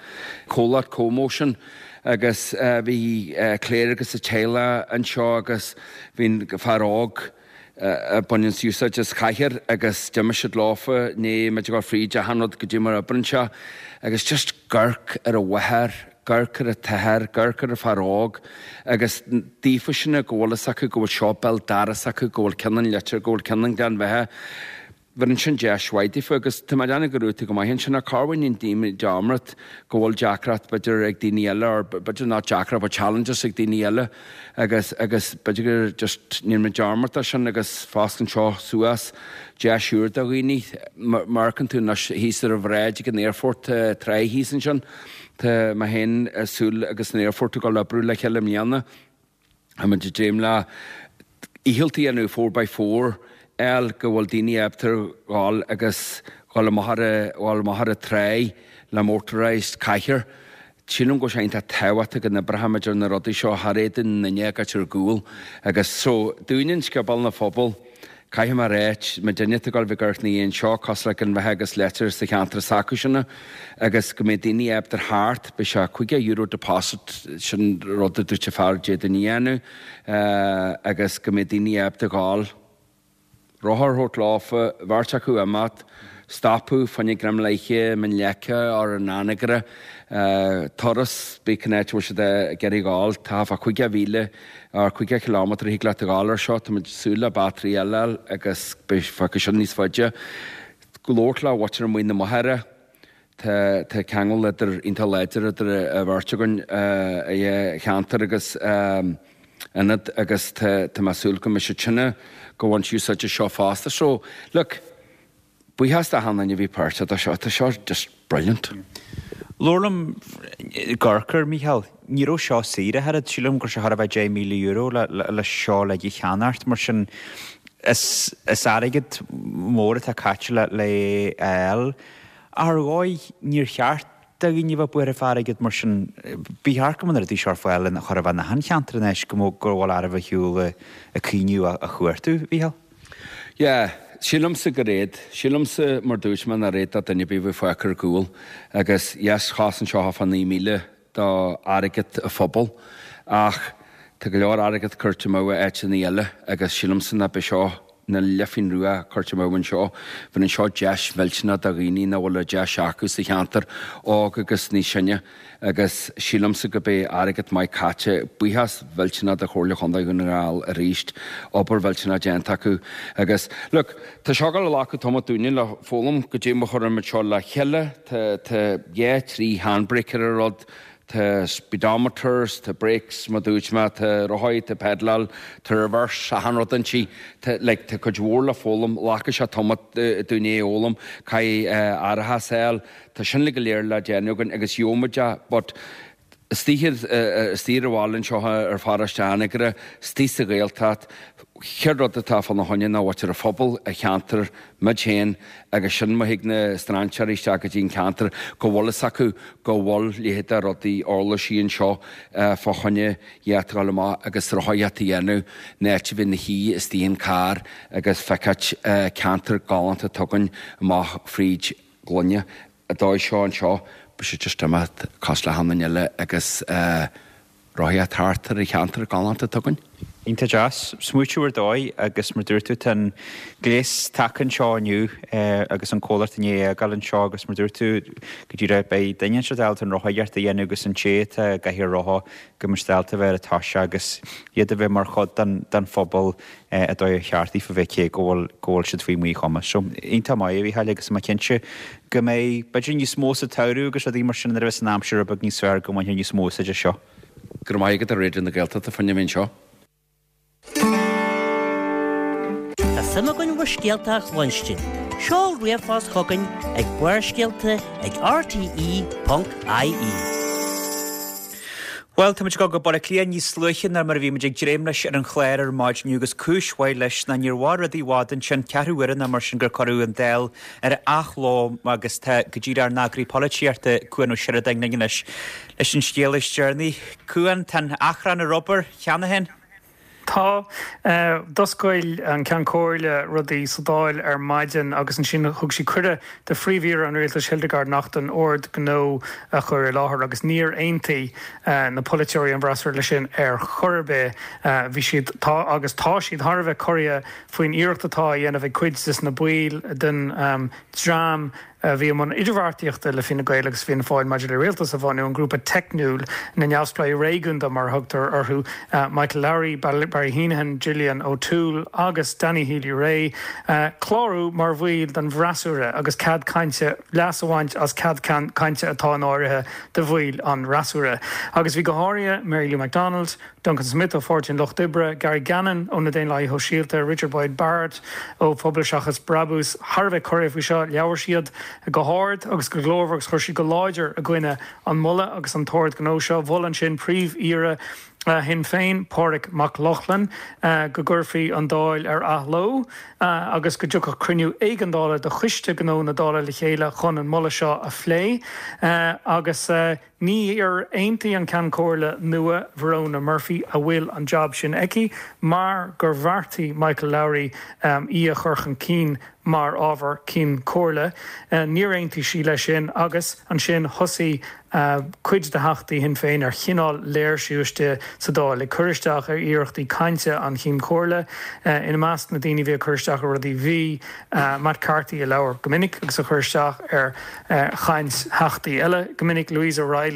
S7: comhlacht CoMotion agus bhí Claire agus a teaghlach anseo agus bhí an fear óg a baineann úsáid as cathaoir agus d'imigh siad leofa, ní muid ag dul fríd achan rud goidé mar oibreann sé agus just amharc ar a mháthair, amharc ar a t-athair, amharc ar an fear óg agus daofa sin go bhfuil fhios acu go bhfuil siopa doras acu, go bhfuil ceann an Leitir, go bhfuil ceann an Ghleann Bheatha. Bheireann sin deis mhaith daofa agus tá mé ag déanamh go raibh tú go maith ansin ach cá bhfuil an dearmad go bhfuil deacracht b'fhéidir ag daoine eile or b'fhéidir not deacracht but challenges ag daoine eile agus agus b'fhéidir gur just níl mé dearmad sin agus foscann seo suas deis úr do dhaoine. Má amharcann tú anois thíos ar an bhráid ag an aerfort tá tráigh thíos ansin tá mé féin ag súil agus an aerfort ag dul oibriú le chéile i mbliana. Tá muid ag dréim le fhicheall a dhéanamh four by four fháil go bhfuil daoine ábalta dhul agus dhul amach ar a dhul amach ar an tráigh le motorised cathaoir. Sílim go bhfuil sé iontach tábhachtach go n-oibreochaimid ar na rudaí seo thar éadan na nduine ag ar gcúl agus so dúinne in Scioból na Phobal Caithfidh mé a ráit, muidinne atá ag dul bheith ag amharc ina dhiaidh anseo, cosúil le Gleann Bheatha agus Leitir sa cheantar s'acu-sin, agus go mbeidh daoine ábalta thart, beidh sé €50 deposit, sin rud a dúirt an fear d'fhéadfainn a dhéanamh, agus go mbeidh daoine ábalta dhul, rothar a thabhairt leofa, beirt acu imeacht, stopadh fá choinne greim leidhte, Mín Leice or an Anagaire, turas, bíodh cén áit a bhfuil siad ag iarraidh dhul, tá fá 50,000 or 50 kilometre thig leat a ghabháil ar seo, tá muid ag súil le battery eile a fháil agus beidh fágtha sin níos faide. Labhairt le mhuintir amuigh na Machaire, tá tá ceangal idir iontach láidir idir a bheirt againn i cheantar agus ionad agus tá tá mé ag súil go mbeidh siad sin go bhaint úsáid as seo fosta. So, look, Buíochas d'achan duine a bhí páirteach do seo, tá seo just brilliant.
S1: Labhair liom ag amharc air, Mícheál, ní raibh seo saor ach oiread, sílim go raibh sé chóir a bheith €10,000 le seo le a cheannacht, mar sin is is airgead mór atá caite le le é a fháil. Ach ar dhóigh níor cheart do dhaoine a bheith buartha fá airgead mar sin, ba cheart go mbeadh na rudaí seo ar fáil in chóir a bheith in achan cheantar anois go go bhfuil oraibh a shiúl ag cuimhniú a chuartú, Mhícheál.
S7: Yeah, sílimse gur éad. Sílimse, mar dúirt mé, nár éad do duine ar bith a bheith fágtha ar gcúl. Agus yes, chosain seo fá 9,000 do airgead an phobail. Ach tá go leor airgead curtha amú i áiteanna eile agus sílimse nach bith seo na leithphéin rua curtha amú anseo. Bheireann seo deis mhillteanach do dhaoine nach bhfuil an deis acu sa cheantar, óg agus níos sine. Agus sílimse go beidh airgead maith caite, buíochas mhillteanach do Chomhairle Chontae Dhún na nGall arís, obair mhillteanach déanta acu. Agus, look, tá seo ag dul a ghlacadh tamall dúinne le foghlaim goidé mar chuireann muid seo le chéile, tá, tá dhá, trí handbrake ar an rud, tá speedometers, tá brakes, mar dúirt mé, tá rothaí, tá pedaláil, tá reverse, achan rud inti, tá, like, tá cuid mhór le foghlaim, ghlacfaidh sé tamall dúinne é a fhoghlaim, caithfidh árachas a fháil, Tá sin uilig go léir le déanamh againn agus gheobhaidh muid é but istigh istigh ar an bhaile anseo ar pharóiste Anagaire, istigh sa Ghaeltacht, chéad rud atá fána choinne ná mhuintir an phobail, an cheantar, muid féin agus sin má thig na strainséirí isteach go dtí an ceantar go bhfuil fhios acu go bhfuil leithéid de rudaí uirlisí anseo fá choinne iad a ghabháil amach agus rothaíocht a dhéanamh in áit a bheith ina shuí istigh in carr agus feiceáilt ceantar galánta atá againn amach fríd gloine an dóigh seo anseo, beidh siad just imeacht cosúil le achan duine eile agus rothaíocht thart ar an cheantar galánta atá againn.
S1: Iontach deas. Smaoitiú ar dóigh agus mar dúirt tú tá an gléas tagtha anseo inniu agus an comhlacht i ndiaidh é a fhágáil anseo agus mar dúirt tú go díreach beidh duine anseo ábalta an rothaíocht a dhéanamh agus an té atá i gcathaoir rotha go mbeidh siad ábalta a bheith ar an toiseach agus iad a bheith mar chuid den phobal an dóigh ar cheart daofa bheith cé go bhfuil go bhfuil siad faoi mhíchumas. So, iontach maith a Mhícheáil agus tá mé cinnte go mbeidh b'fhéidir níos mó sa tsamhradh agus rudaí mar sin nuair a bheas an aimsir rud beag níos fearr go mbainfear níos mó úsáid as seo.
S7: Go raibh maith agat a Raidió na Gaeltachta fá choinne a bheith anseo.
S5: Tá suim againn bhur scéalta a chluinstin. Seol ríomhphost chugainn ag barrscéalta ag rte.ie.
S1: Bhuel, táimid ag dul go Baile Átha Cliath níos luaithe ná mar a bhí muid ag dréim leis ar an chlár ar maidin inniu agus cúis mhaith leis ná níor mhair rudaí i bhfad ansin, ceathrú uaire nó mar sin gur cuireadh an Dáil ar athló agus tá go díreach ár n-eagraí polaitíochta, Cuan Ó Seireadáin linn anois leis an scéal is deireanaí. Cuan, tá an achrann ar obair cheana féin?
S8: Tá. D'oscail an Ceann Comhairle rudaí sa Dáil ar maidin agus ansin thug sí cuireadh do Phríomh-Aoire an Rialtais Hildegarde Naughton ord gnó a chur i láthair agus níor aontaigh na polaiteoirí an bhfreasúra leis sin ar chor ar bith. Bhí siad, tá agus tá siad thar a bheith corraithe faoin iarracht atá á dhéanamh ag cuid des na baill den dream a bhí i mbun idirbheartaíochta le Fine Gael agus Fianna Fáil maidir le rialtas a bhunú, an grúpa teicniúil, na neamhspleáigh réigiúnda mar a thugtar orthu, Michael Lowry, Barry Heneghan, Gillian O'Toole agus Danny Healy-Rae, clárú mar bhaill den bhfreasúra agus cead cainte, leas a bhaint as cead cainte atá in áirithe do bhaill an fhreasúra. Agus bhí go háirithe Mary Lou McDonald, Duncan Smith ó Pháirtí an Lucht Oibre, Gary Gannon ó na Daonlathaithe Shóisialta, Richard Boyd Barrett ó Phobal Seachas Brabús thar a bheith corraithe faoi seo. Labhair siad go hard agus go glórmhar agus chuir siad go láidir i gcoinne an moladh agus an t-ord gnó seo. Mhol ansin Príomh-Aoire Shinn Féin, Pádraig Mac Lochlainn, go gcuirfí an Dáil ar athló agus go dtiocfadh cruinniú éigeandála de Choiste Gnó na Dála le chéile chun an moladh seo a phlé agus. Níor aontaigh an Ceann Comhairle nua, Verona Murphy, a bhfuil an jab sin aici mar gur bheartaigh Michael Lowry í a chur chun cinn mar ábhar Cinn Comhairle. Níor aontaigh sí leis sin agus ansin thosaigh cuid de theachtaí Shinn Féin ar chineál léirsiú istigh sa Dáil, ag cur isteach ar iarrachtaí cainte an Chinn Comhairle. Ina measc na daoine a bhí ag cur isteach ar rudaí bhí Matt Carthy a labhair go minic agus a chuir isteach ar chaint theachtaí eile, go minic Louise O'Reilly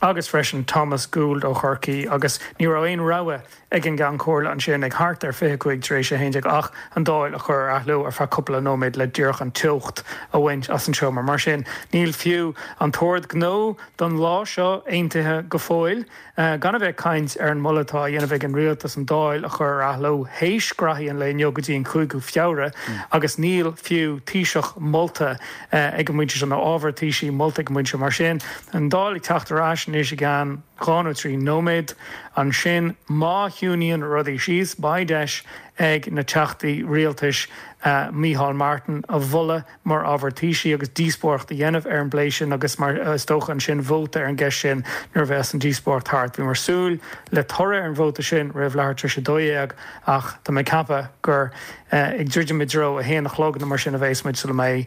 S8: agus freisin Thomas Gould ó Chorcaí agus ní raibh aon rogha ag an gCeann Comhairle ansin ag thart ar 25 tar éis 11 ach an Dáil a chur ar athló ar feadh cúpla nóiméad le díreach an teocht a bhaint as an seomra. Mar sin, níl fiú an t-ord gnó don lá seo aontaithe go fóill. Gan a bheith ag caint ar an moladh atá á dhéanamh ag an Rialtas an Dáil a chur ar athló théis graithí an lae inniu go dtí an 5ú Feabhra agus níl fiú Taoiseach molta ag an bpointe seo, nó ábhar Taoisigh molta ag an bpointe seo. Mar sin, an Dáil ag teacht ar ais anois i gceann dhá nó trí nóiméad. Ansin, má chiúnaíonn rudaí síos, beidh deis ag na Teachtaí Rialtais Micheál Martin a mholadh mar ábhar Taoisigh agus díospóireacht a dhéanamh ar an bplé sin agus mar is dócha ansin vóta ar an gceist sin nuair a bheas an díospóireacht thart. Bhíomar súil le toradh ar an vóta sin roimh leathuair tar éis 12 ach tá mé ag ceapadh gur ag druidim i dtreo a haon a chlog nó mar sin a bheas muid sula mbeidh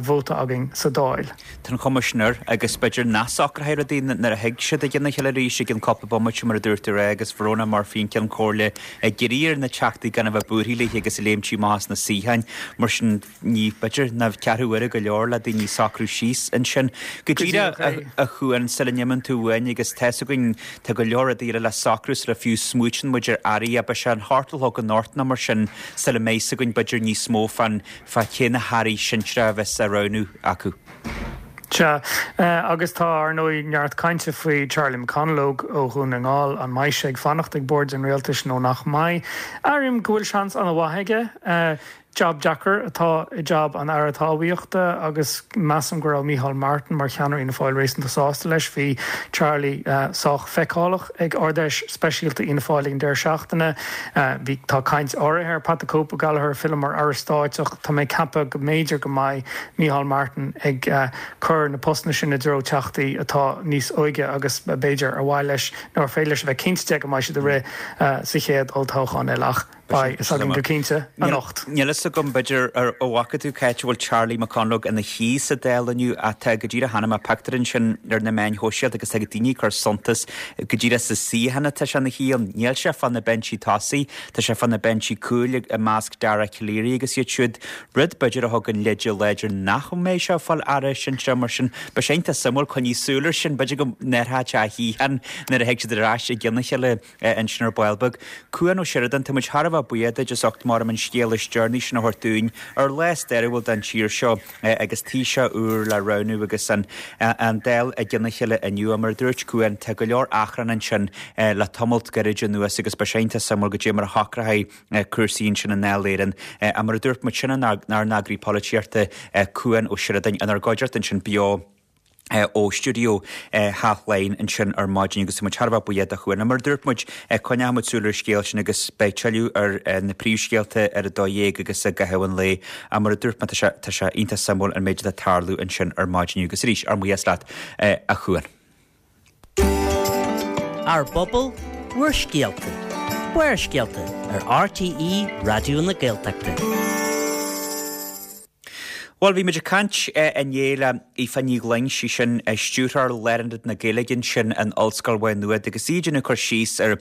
S8: vóta againn sa Dáil.
S1: Tá an chuma sin air agus b'fhéidir nach socróidh rudaí nuair a thig siad i gcionn a chéile arís i gcionn cúpla bomaite mar a dúirt tú agus Verona Murphy an Ceann Comhairle ag iarraidh ar na teachtaí gan a bheith buartha léi agus ag léimtí amach as na suíocháin. Mar sin Ní, b'fhéidir, ná ceathrú uaire go leor le daoine socrú síos ansin. Go díreach, a Chuain, sula n-imíonn tú uainn, agus tá 'fhios againn, tá go leor rudaí eile le socrú sula fiú smaoitíonn muid ar airí, beidh sé an hocht a chlog anocht nó mar sin sula mbeidh 'fhios againn b'fhéidir níos mó fán, fá cé na hairí sinsearacha a bheas á roghnú acu.
S8: Sea, agus tá, ar ndóigh, neart cainte faoi Charlie McConalogue ó Dhún na nGall, an mbeidh sé ag fanacht ag bord an rialtais nó nach mbeidh? Airím go bhfuil seans an-mhaith aige. Jab deacair atá i jab an Aire Talmhaíochta agus measaim go raibh Micheál Martin mar cheannaire Fhianna Fáil réasúnta sásta leis. Bhí Charlie sách feiceálach ag Ard-Fheis speisialta Fhianna Fáil ag an deireadh seachtaine. Bhí, tá caint áirithe ar Pat the Cope O'Gallagher filleadh mar Aire Stáit ach tá mé ag ceapadh go mb'fhéidir go mbeidh Micheál Martin ag cur na postanna sin i dtreo teachtaí atá níos óige agus b'fhéidir ar mhaith leis nó ar féidir leis a bheith cinnte de go mbeidh siad ag rith sa chéad olltoghchán eile. Ach. Beidh fhios againn go cinnte anocht.
S1: Níl fhios agam, b'fhéidir, an bhfaca tú cá háit a bhfuil Charlie McConalogue ina shuí sa Dáil inniu ach tá go díreach chonaic mé pictiúr ansin ar na meáin shóisialta agus tá daoine ag cur suntas go díreach sa suíochán atá sé ina shuí ann. Níl sé fá na binsí tosaigh, tá sé fá na binsí cúil i measc Dara Calleary agus iad siúd, rud b'fhéidir a thugann leide láidir nach mbeidh sé ag fáil aire sinsearach mar sin. Beidh sé iontach suimiúil coinní súil air sin, b'fhéidir go n-athróidh sé a shuíochán nuair a thig siad ar ais i gcionn a chéile. ansin ar ball beag. Cuan Ó Seireadáin, tá muid thar a bheith buíoch duit as ucht maram an scéal is deireanaí sin a thabhairt dúinn ar lá stairiúil don tír seo agus Taoiseach úr le roghnú agus an Dáil i gcionn a chéile inniu. Mar a dúirt Cuan, tá go leor achrann ansin le tamalt gairid anuas agus beidh sé iontach suimiúil goidé mar a shocróidh cúrsaí ansin i nDáil Éireann. Mar a dúirt muid, sin ár n-eagraí polaitíochta, Cuan Ó Seireadáin, inár gcuideachta ansin beo. Ó stiúideo Theach Laighean ansin ar maidin agus tá muid thar a bheith buíoch do Chuan. Mar a dúirt muid, coinneoidh muid súil ar an scéal sin agus beidh tuilleadh ar na príomhscéalta ar a 12 agus i gcaitheamh an lae. Ach mar a dúirt mé, tá sé, tá sé iontach suimiúil an méid atá ag tarlú ansin ar maidin agus arís, ár mbuíochas leat, a Chuan.
S5: Ár bpobal, bhur scéalta. Barrscéalta ar RTÉ Raidió na Gaeltachta.
S1: Bhuel, bhí muid ag caint inné le Aoife Ní Ghloinn, sí sin Stiúrthóir Lárionad na Gaeilge ansin in Ollscoil Mhaigh Nuad agus í ag déanamh cur síos ar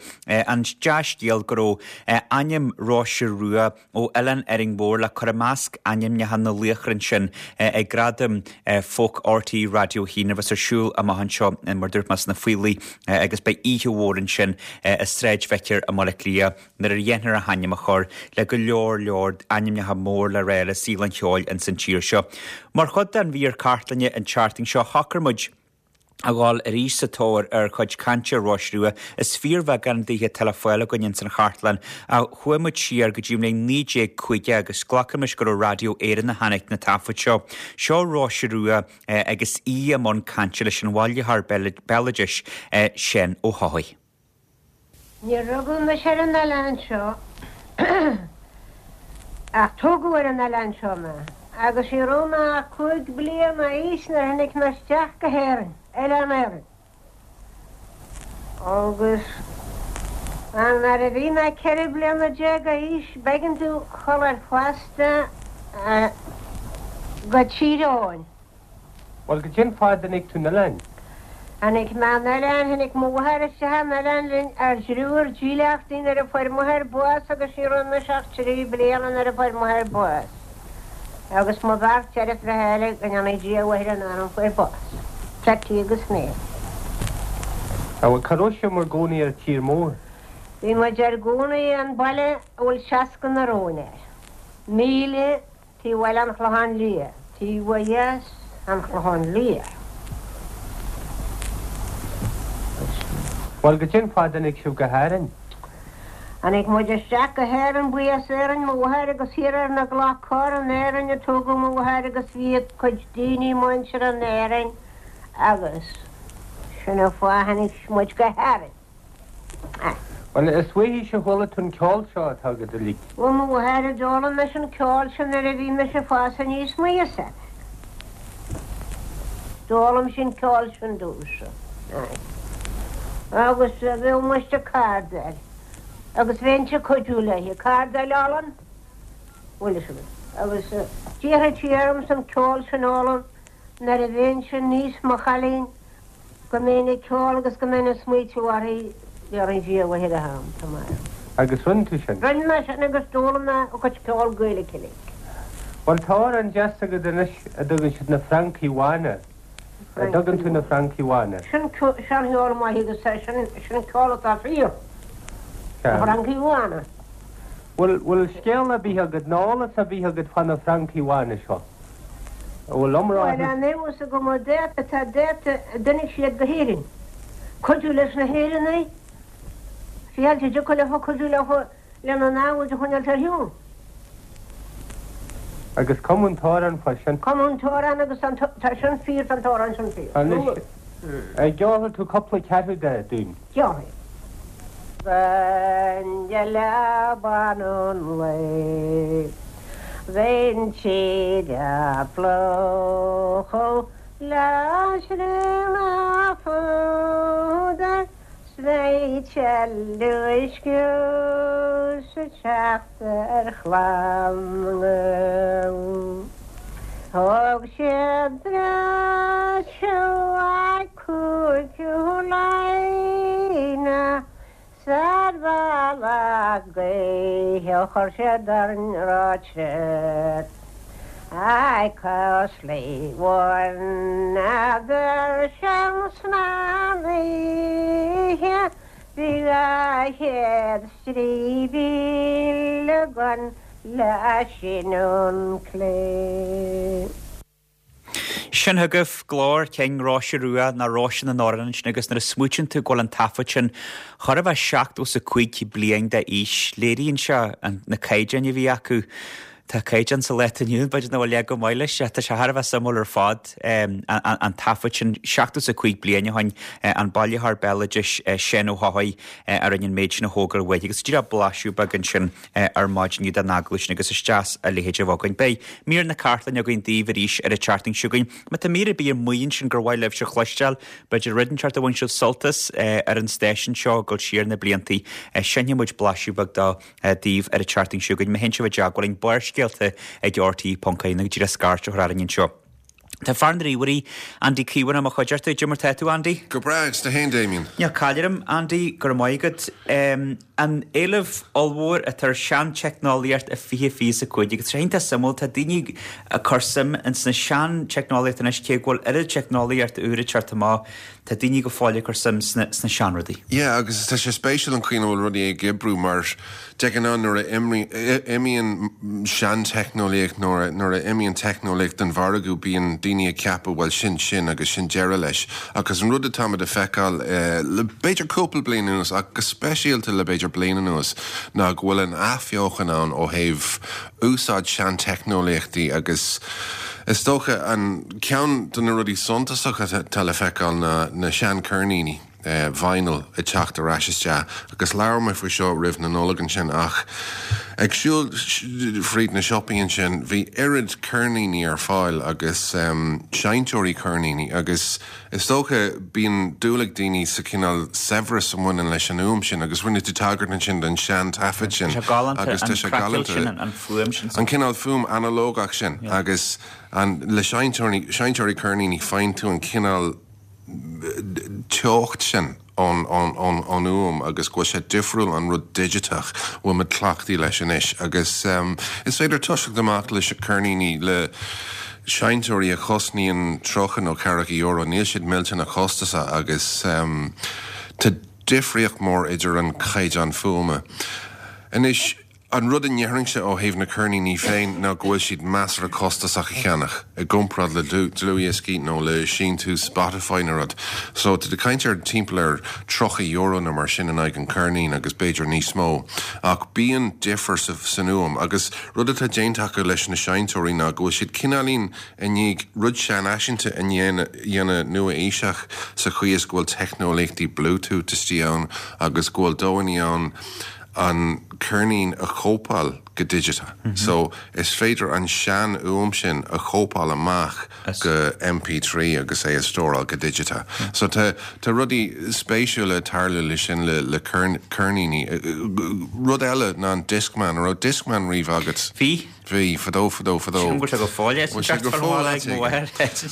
S1: an dea-scéal go raibh ainm Róise Rua ó Oileán Árainn Mhór le cur i measc ainmneacha na laochra ansin ag Gradaim Folk RTÉ Raidió 1 a bheas ar siúl amach anseo, mar dúirt mé, sna Faoilligh agus beidh oíche mhór ansin i Sráid Vicar i mBaile Átha Cliath. nuair a dhéanfar a hainm a chur le go leor leor ainmneacha mór le rá le saol an cheoil ins an tír seo. Mar chuid den mhír cartlainne an tseachtain seo shocraigh muid a dhul arís sa tóir ar chuid cainte Róise Rua. Is fíorbheagán daoithe atá le fáil againn ins an chartlann ach chuaigh muid siar go dtí an bhliain 1950 agus glacaimis gur ó Raidió Éireann a tháinig na taifid seo. Seo Róise Rua agus í i mbun cainte leis an bhailitheoir béaloidis Seán Ó hEochaidh.
S9: Níor rugadh mise ar an oileán seo ach tógadh ar an oileán seo mé agus ní raibh mé ach 5 bliana d'aois nuair a tháinig mé isteach go hÉirinn, Oileán Árainn. Agus nuair a bhí mé 14 bliana d'aois b'éigean domh dhul ar phosta go Tír Eoghain.
S10: Bhuel, goidé an fáth a dtáinig tú 'na oileáin?
S9: Tháinig mé 'na oileáin, tháinig mo mháthair isteach 'na oileáin linn ár dtriúr dílleachtaí nuair a fuair m'athair bás agus ní raibh mise ach 3 bliana nuair a fuair m'athair bás. Agus mo bheirt deirfiúracha eile, go ndéanaí Dia a mhuire a n-anam, fuair bás. Ceaití agus mé.
S10: Á, bhuel, cá raibh sibh mar gcónaí ar an tír mór?
S9: Bhí muid ar gcónaí an baile a bhfuil 60 na róin air. 1000 Taobh eile an Chlocháin Liath, taobh ó dheas an Chlocháin Liath.
S10: Bhuel, goidé an fáth a dtáinig sibh go hÁrainn?
S9: Tháinig muid isteach go hÉirinn, buí as Éirinn mo mháthair agus thiar ar na gCloch Corr in Éirinn a tógadh mo mháthair agus bhí a cuid daoine muinteartha in Éirinn agus sin an fáth a tháinig muid go hÁrainn.
S10: Bhuel, is uaithise a chuala tú an ceol seo atá agat uilig.
S9: Ó mo mháthair a d'fhoghlaim mise an ceol sin nuair a bhí mise ag fás aníos mo fhios agat. D'fhoghlaim sí an ceol sin domhsa. Aye. Agus bheadh mise ag cardáil agus bheinnse ag cuidiú léi. Cardáil olann, bhfuil fhios agat. Agus d'iarr sí ormsa an ceol sin a fhoghlaim nuair a bheinnse níos mo chailín. Go mbeinn ag ceol agus go mbeinn ag smaoitiú uirthi, déarfainn Dia a mhuire tham, tá mé.
S10: Agus rinne tú sin?
S9: Rinne mé sin agus d'fhoghlaim mé a cuid ceol Gaeilge uilig.
S10: Bhuel tá amhrán deas agat anois a dtugann siad na Francaigh Bhána. An dtugann tú na Francaigh Bhána?
S9: Sin seancheol maith agus sin sin ceol atá fíor. Na Francaigh Bhána.
S10: Bhfuil bhfuil scéal ar bith agat nó eolas ar bith agat fá na Francaigh Bhána seo? An bhfuil iomrá
S9: Bhuel, an eolas agam an dáta tá dáta a dtáinig siad go hÉirinn. Cuidiú leis na hÉireannaigh, fiáilte a dtiocfadh leofa cuidiú leofa lena namhaid a choinneáilt ar shiúl.
S10: Agus cumadh an t-amhrán fá sin.
S9: Cumadh an t-amhrán agus tá tá sin fíor, tá an t-amhrán sin fíor.
S10: Anois, an gceolfaidh tú cúpla ceathrú de dúinn?
S9: Ceolfaidh. Bheinn i leaba an lae. Bheinn siad a phlóchadh le srionadh fuadair 's bheidh uisce sa teacht ar chlann na nGael. Thóg siad breis uaidh Cúigiú Laighean 's ar bhealach gaoithe chuir siad orainn ráite Ag cos Bhaineadar sin san oíche Bhí 200 's 3,000 againn le síneadh an clé.
S1: Sin chugaibh glór cinn Róise Rua nó Róise na nAmhrán ansin agus nuair a smaoitíonn tú go bhfuil an taifead sin chóir a bheith 75 bliain d'aois, léiríonn sé na caighdeáin a bhí acu. Tá caighdeán sa lá atá inniu ann, b'fhéidir nach bhfuil leath chomh maith leis. Tá sé thar a bheith suimiúil ar fad, an taifead sin, 75 bliain ó shin, an bailitheoir béaloidis Seán Ó hEochaidh a rinne an méid sin a thógáil uaidh agus díreach blaiseadh beag ansin ar maidin inniu den agallamh sin agus is deas a leithéid a bheith againn. Beidh mír na cartlainne againn daoibh arís ar an tseachtain seo chugainn. Má tá mír ar bith amuigh ansin gur mhaith libhse a chloisteáil, b'fhéidir rud inteacht a bhain sibh sult as ar an stáisiún seo ag dul siar na bliantaí, seinnfidh muid blaiseadh beag dó. daoibh ar an tseachtain seo chugainn. Má théann sibh i dteagmháil linn, Barrscéalta ag RTÉ.ie nó díreach scairt a chur orainn anseo. Tá fear na ríomhairí, Andy Caomhánach i mo chuideachta. Cad é mar tá tú, Andy?
S11: Go breá, agus tú fhéin, Damien?
S1: Níl caill orm, Andy, go raibh maith agat. An éileamh ollmhór atá ar seanteicneolaíocht i 2025 agus tá sé iontach suimiúil, tá daoine ag cur suim ins na seanteicneolaíocht anois cé go bhfuil oiread teicneolaíocht úr ag teacht amach. Tá daoine go fóill ag cur suim sna seanrudaí.
S11: Yeah, agus tá sé spéisiúil an chaoi ina bhfuil rudaí ag oibriú mar de ghnáth nuair a imíonn seanteicneolaíocht, nuair a imíonn teicneolaíocht den mhargadh bíonn daoine ag ceapadh bhuel sin sin agus sin deireadh leis. Agus an rud atáimid a feiceáil le b'fhéidir cúpla bliain anuas ach go speisialta le b'fhéidir bliain anuas ná go bhfuil an athbheochan ann ó thaobh úsáid seanteicneolaíochtaí agus is dócha an ceann de na rudaí suntasacha atá le feiceáil ná na seancheirníní vinyl ag teacht ar ais isteach agus labhair mé faoi seo roimh na Nollag ansin ach ag siúl fríd na siopaí ansin bhí oiread ceirníní ar fáil agus seinnteoirí ceirníní agus Is dócha, bíonn dúil ag daoine sa chineál saibhreas a bhaineann leis an fhuaim sin agus rinne tú tagairt ansin don sean-taifead sin
S1: Tá sé galánta, agus tá sé galánta, sin, an fuaim sin.
S11: An cineál fuaim analógach sin agus an, le seinnteoirí, seinnteoirí ceirníní faigheann tú an cineál teocht sin ón, ón, ón, ón fhuaim agus go bhfuil sé difriúil ón rud digiteach a bhfuil muid cleachtaithe leis anois agus is féidir toiseacht amach le ceirníní le seinnteoirí a chosnaíonn 30 nó ceathracha euro, níl siad millteanach costasach agus tá difríocht mór idir an caighdeán fuaime. Anois. An rud a ndéarfainnse ó thaobh na ceirníní féin ná go bhfuil siad measartha costasach a cheannach i gcomparáid le dlúthdhioscaí nó le síntiús Spotify nó rud. So tá tú ag caint ar timpeall ar €30 nó mar sin in aghaidh an cheirnín agus b'fhéidir níos mó. Ach bíonn difear san fhuaim agus rud atá déanta acu leis na seinnteoirí ná go bhfuil siad cineáilín i ndiaidh rud seanfhaiseanta a dhéanamh nua-aoiseach sa chaoi is go bhfuil teicneolaíochtaí Bluetooth istigh ann agus go bhfuil dóigheanna ann an ceirnín a chóipeáil go digiteach. So, is féidir an sean-fhuaim sin a chóipeáil amach go MP3 agus é a stóráil go digiteach. So, tá tá rudaí spéisiúla ag tarlú le sin le le ceirníní. Rud eile ná an Discman. An raibh Discman riamh agat?
S1: Bhí.
S11: Bhí, fadó, fadó, fadó.
S1: Sílim go bhfuil sé go fóill é san
S11: Bhfuil sé go fóill ait
S1: éigin?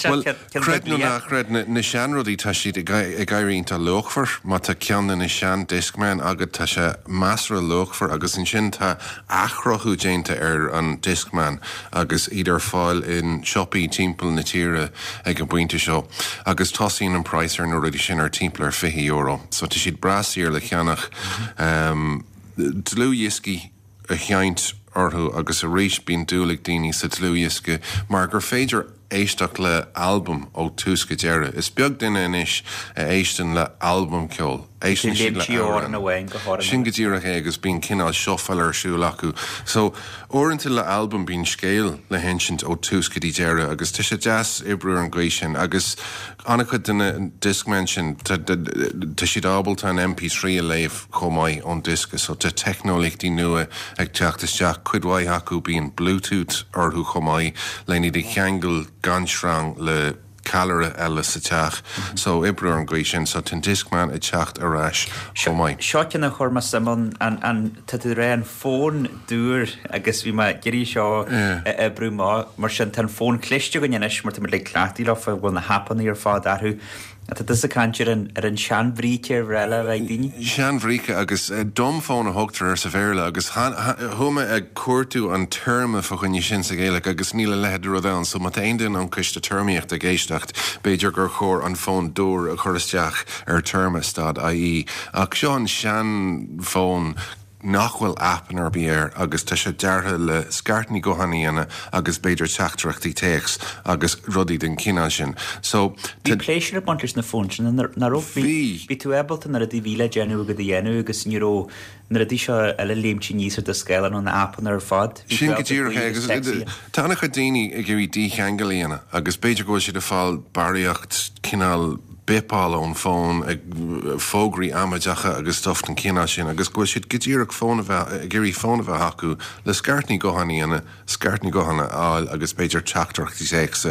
S11: Bhuel, creid nó ná creid, na seanrudaí, tá siad ag éirí iontach luachmhar. Má tá ceann de na sean-Discman agat, tá sé measartha luachmhar agus ansin tá athchruthú déanta ar an Discman agus iad ar fáil in siopaí timpeall na tíre ag an bpointe seo agus tosaíonn an praghas ar na rudaí sin ar timpeall ar €20. So tá siad breá saor le ceannach. Dlúthdhioscaí. a sheinnt orthu agus arís bíonn dúil ag daoine sa dlúthdhiosca mar gur féidir éisteacht le albam ó tús go deireadh. Is beag duine anois a éisteann le albam ceoil, éisteann siad le
S1: amhrán.
S11: Sin go díreach é agus bíonn cineál shuffle ar siúl acu. So, uaireanta le albam bíonn scéal le hinsint ó tús go dtí deireadh agus tá sé deas oibriú ar an gcaoi sin agus an-chuid de na Discmen sin tá siad ábalta an MP3 a léamh. chomh maith ón diosca so tá teicneolaíochtaí nua ag teacht isteach, cuid mhaith acu bíonn Bluetooth orthu chomh maith len iad a cheangal gan sreang le ceallaire eile sa teach so oibriú ar an gcaoi sin so tá an Discman ag teacht ar ais chomh maith.
S1: Seo ceann a chuir mé suim ann, an, an, tá tú ag rá an fón dúr agus bhí mé ag iarraidh seo a oibriú amach mar sin tá an fón cliste againn anois mar tá muid like cleachtaithe leo bhfuil na haipeanna ar fad orthu Tá tusa ag caint ar an ar an seanbhríce ar bhreá le bheith ag daoine.
S11: Seanbhríce agus dumbphone a thugtar air sa Bhéarla agus chuaigh mé ag cuartú an téarma fá choinne sin sa Ghaeilge agus níl a leithéid de rud ann so má tá aon duine ón Coiste Téarmaíochta ag éisteacht b'fhéidir gur chóir an fón dúr a chur isteach ar téarma stad ie ach seo an seanfhón nach bhfuil aipeanna ar bith air agus tá sé deartha le scairteanna gutháin a dhéanamh agus b'fhéidir teachtaireachtaí téacs agus rudaí den chineál sin. So,
S1: Bhí pléisiúr ag baint leis na fóin sin, nach raibh?
S11: Bhí.
S1: Bhí tú ábalta na rudaí a bhí le déanamh agat a dhéanamh agus ní raibh. na rudaí seo eile léimt aníos ar do scáileán ó na aipeanna ar fad.
S11: Bhí Sin go díreach é agus tá an-chuid daoine ag iarraidh dícheangal a dhéanamh agus b'fhéidir go bhfuil siad ag fáil barraíocht cineál bipáil ón bhfón, ag fógraí amaideacha agus stuff den chineál sin agus go bhfuil siad go díreach fón a bheith, ag iarraidh fón a bheith acu le scairteanna gutháin a dhéanamh. scairteanna gutháin a fháil agus b'fhéidir teachtaireachtaí téacs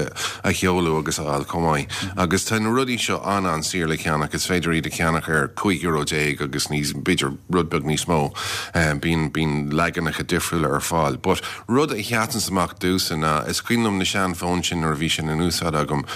S11: a sheoladh agus a fháil chomh maith. Agus tá na rudaí seo an-an-saor le ceannach, is féidir iad a cheannach ar €15 euro agus níos, b'fhéidir rud beag níos mó. Bíonn, bíonn leaganacha difriúla ar fáil. But rud a sheasanns amach domhsa ná, is cuimhin liom na sean-fhóin sin nuair a bhí sin in úsáid agam,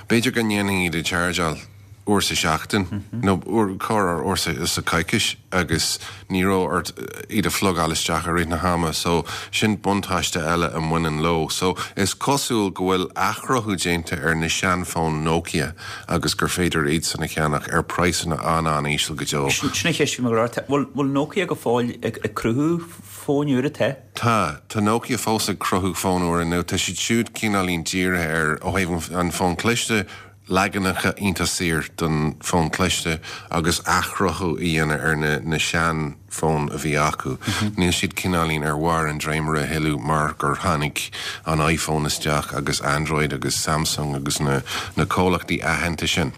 S11: b'fhéidir go ndéanfainn iad a chargeáil, uair sa seachtain nó uair, corruair uair sa choicís agus ní raibh ort iad a phlugáil isteach i rith na hama so sin buntáiste eile a mbaineann leo. So is cosúil go bhfuil athchruthú déanta ar na seanfhóin Nokia agus gur féidir iad san a cheannach ar praghsanna an-an-íseal go deo.
S1: Sin an cheist a bhí mé ag rá ort. Bhfuil Nokia go fóill ag cruthú fóin úra? Tá.
S11: Tá. Tá Nokia fós ag cruthú fóin úra nó tá siad siúd cineáilín dírithe ar ó thaobh an fón cliste, leaganacha iontach saor don fón cliste agus athchruthú a dhéanamh ar na na sean fóin a bhí acu. Níl siad cineáilín ar bharr an dréimire a thuilleadh mar gur tháinig an iPhone isteach agus Android agus Samsung agus na na comhlachtaí aitheanta sin.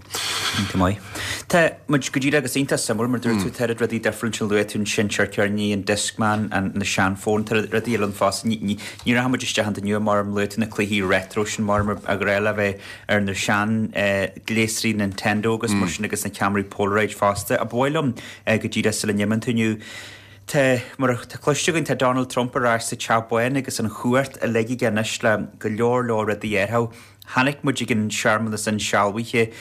S1: Iontach maith. Tá muid go díreach agus iontach suimiúil mar dúirt tú tá oiread rudaí difriúil ansin luaigh tú an seinnteoir ceirníní, an Discman, an na seanfhóin, tá rudaí eile ann fosta. Ní ní ní rachaidh muid isteach iontu inniu mar luaigh tú na cluichí retro sin mar ba ghnách le bheith ar na sean ghléasraí Nintendo agus mar sin agus na ceamaraí Polaroid fosta. Ach ba mhaith liom go díreach sula n-imíonn tú inniu, tá, mar atá cloiste againn, tá Donald Trump ar ais sa Teach Bán agus an chumhacht uilig aige anois le go leor leor rudaí a athrú. Chonaic muid ag an searmanas insealbhaithe,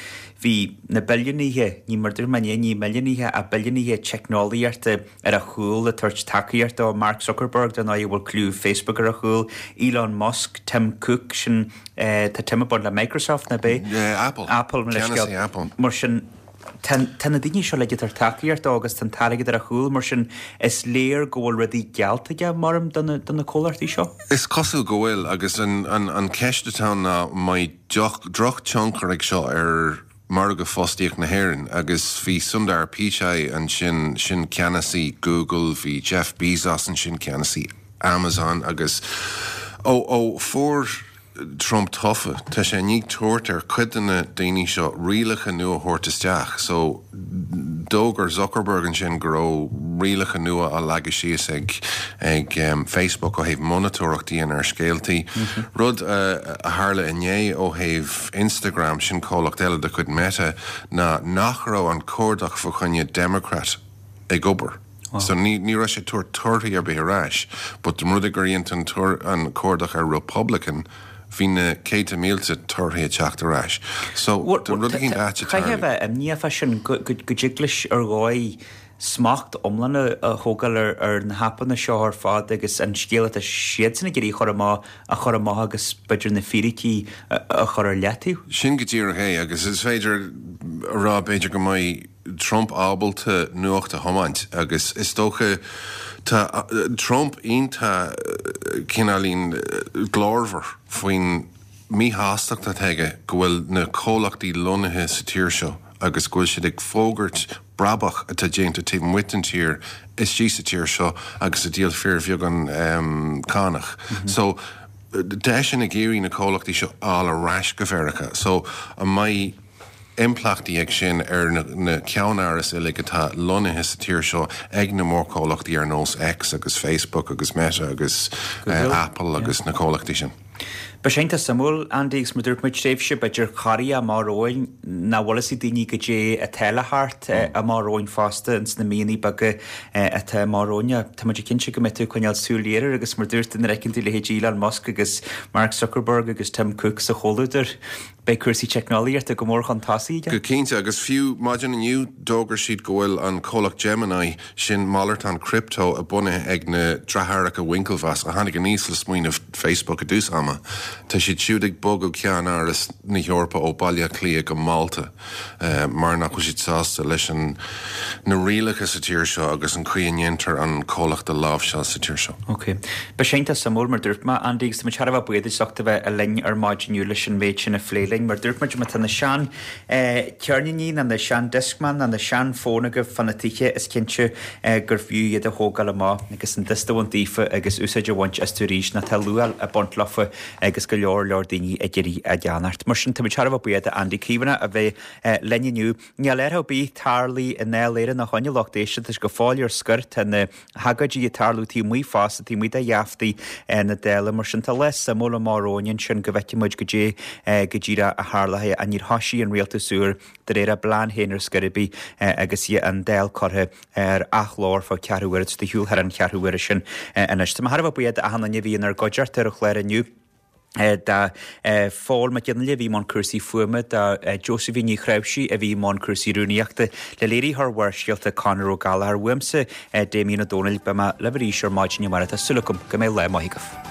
S1: bhí na billiúnaithe, ní mar dúirt mé inné, ní milliúnaithe ach billiúnaithe teicneolaíochta ar a chúl ag tabhairt tacaíocht dó, Mark Zuckerberg, dar ndóigh, a bhfuil cliú Facebook ar a chúl, Elon Musk, Tim Cook, sin Tá Tim ag baint le Microsoft, nach ea?
S11: Apple.
S1: Apple, mo leithscéal.
S11: Ceannasaí Apple.
S1: Mar sin, tá tá na daoine seo uilig ag tabhairt tacaíocht dó agus tá an t-airgead ar a chúl, mar sin is léir go bhfuil rudaí geallta aige, maram, do na do na comhlachtaí seo.
S11: Is cosúil go bhfuil, agus an an an ceist atá ann ná an mbeidh drochtionchar ag seo ar margadh fostaíocht na hÉireann agus bhí Sundar Pichai ansin, sin ceannasaí Google, bhí Jeff Bezos ansin, ceannasaí Amazon agus ó ó fuair Trump tofa, tá sé i ndiaidh tabhairt ar chuid de na daoine seo rialacha nua a thabhairt isteach. So d'fhógair Zuckerberg ansin go raibh rialacha nua á leagadh síos ag ag Facebook ó thaobh monatóireacht a dhéanamh ar scéaltaí. Rud a tharla inné ó thaobh Instagram, sin comhlacht eile de chuid Meta, ná nach raibh an cuardach fa choinne Democrat ag obair. So ní ní raibh sé ag tabhairt torthaí ar bith ar ais, but dá mba rud é gur dhein tú an cuardach ar Republican, bhí na céadta mílte torthaí ag teacht ar ais. So tá rud éicint ait ag
S1: tarlú. Chaithfeá a bheith imníoch fá sin go dtig leis ar dhóigh smacht iomlán a thógáil ar na haipeanna seo ar fad agus an scéal atá siadsan ag iarraidh a chur amach a chur amach agus b'fhéidir na fíricí a chur ar leataobh.
S11: Sin go díreach é agus is féidir a rá b'fhéidir go mbeidh Trump ábalta nuacht a thiomáint agus is dócha tá Trump iontach cineáilín glórmhar faoin míshástacht atá aige go bhfuil na comhlachtaí lonnaithe sa tír seo agus go bhfuil siad ag fógairt brabach atá déanta taobh amuigh den tír istigh sa tír seo agus ag díol fíorbheagán cánach. So tá eisean ag iarraidh na comhlachtaí seo a fháil ar ais go Mheiriceá. So an mbeidh impleachtaí ag sin ar na ceannárais uilig atá lonnaithe sa tír seo ag na mórchomhlachtaí ar nós X agus Facebook agus Meta agus Apple agus na comhlachtaí sin.
S1: Beidh sé iontach suimiúil, Andy, agus mar dúirt muid, tréimhse b'fhéidir corraitheach amach romhainn, nach bhfuil fhios ag daoine goidé atá le theacht amach romhainn fosta ins na míonna beaga atá amach romhainn. Tá muid cinnte go mbeidh tú ag coinneáil súil ghéar air agus mar dúirt tú nuair a fheiceann tú leithéidí Elon Musk agus Mark Zuckerberg agus Tim Cook sa chomhluadar, Beidh cúrsaí teicneolaíochta go mór chun tosaigh
S11: aige. Go cinnte, agus fiú maidin inniu d'fhógair siad go bhfuil an comhlacht Gemini, sin malartán crypto a bunaithe ag na deartháireacha Winklevoss, a tháinig aníos le smaoineamh Facebook i dtús ama, tá siad siúd ag bogadh ceannáras na hEorpa ó Baile Átha Cliath go Málta. mar nach bhfuil siad sásta leis an na rialacha sa tír seo agus an chaoi a ndéantar an comhlacht a láimhseáil sa tír seo.
S1: Ok. Beidh sé iontach suimiúil, mar dúirt mé, Andy, agus tá muid thar a bheith buíoch duit as ucht a bheith linn ar maidin inniu leis an méid sin a phlé linn. againn. Mar dúirt muid, má tá na sean ceirníní nó na sean Discman nó na sean fóin agaibh fá na tithe is cinnte gur fiú iad a thógáil amach agus an dusta a bhaint daofa agus úsáid a bhaint astu arís nó tá luacháil ag baint leofa agus go leor leor daoine ag iarraidh a gceannacht. Mar sin táimid thar a bheith buíoch d'Andy Caomhánach a bheith linn inniu. Níl athrú ar bith tarlaithe i nDáil Éireann ó shoin a lucht éisteachta, tá sé go fóill ar scor, tá na hagóidí ag tarlú taobh amuigh fosta, taobh amuigh de gheaftaí na Dála. Mar sin tá lá suimiúil amach romhainn ansin go bhfeicfidh muid goidé go díreach a tharlóidh. Ach níor thoisigh an rialtas úr de réir a bplean féin ar scor ar bith agus an Dáil curtha ar athló ar feadh ceathrú uaire, tá siad ar shiúl thar an cheathrú uaire sin anois. Tá mé thar a bheith buíoch d'achan duine a bhí inár gcuideachta ar an chlár inniu. do Phól Mac Fhionnghaile a bhí i mbun cúrsaí fuaime, do Josephine Ní Chnáimhsí a bhí i mbun cúrsaí rúnaíochta, le léiritheoir Bharrscéalta Conor Ó Gallchóir. Uaimse, Damien Ó Dónaill, beidh mé libh arís ar maidin amárach. Tá súil agam go mbeidh lá maith agaibh.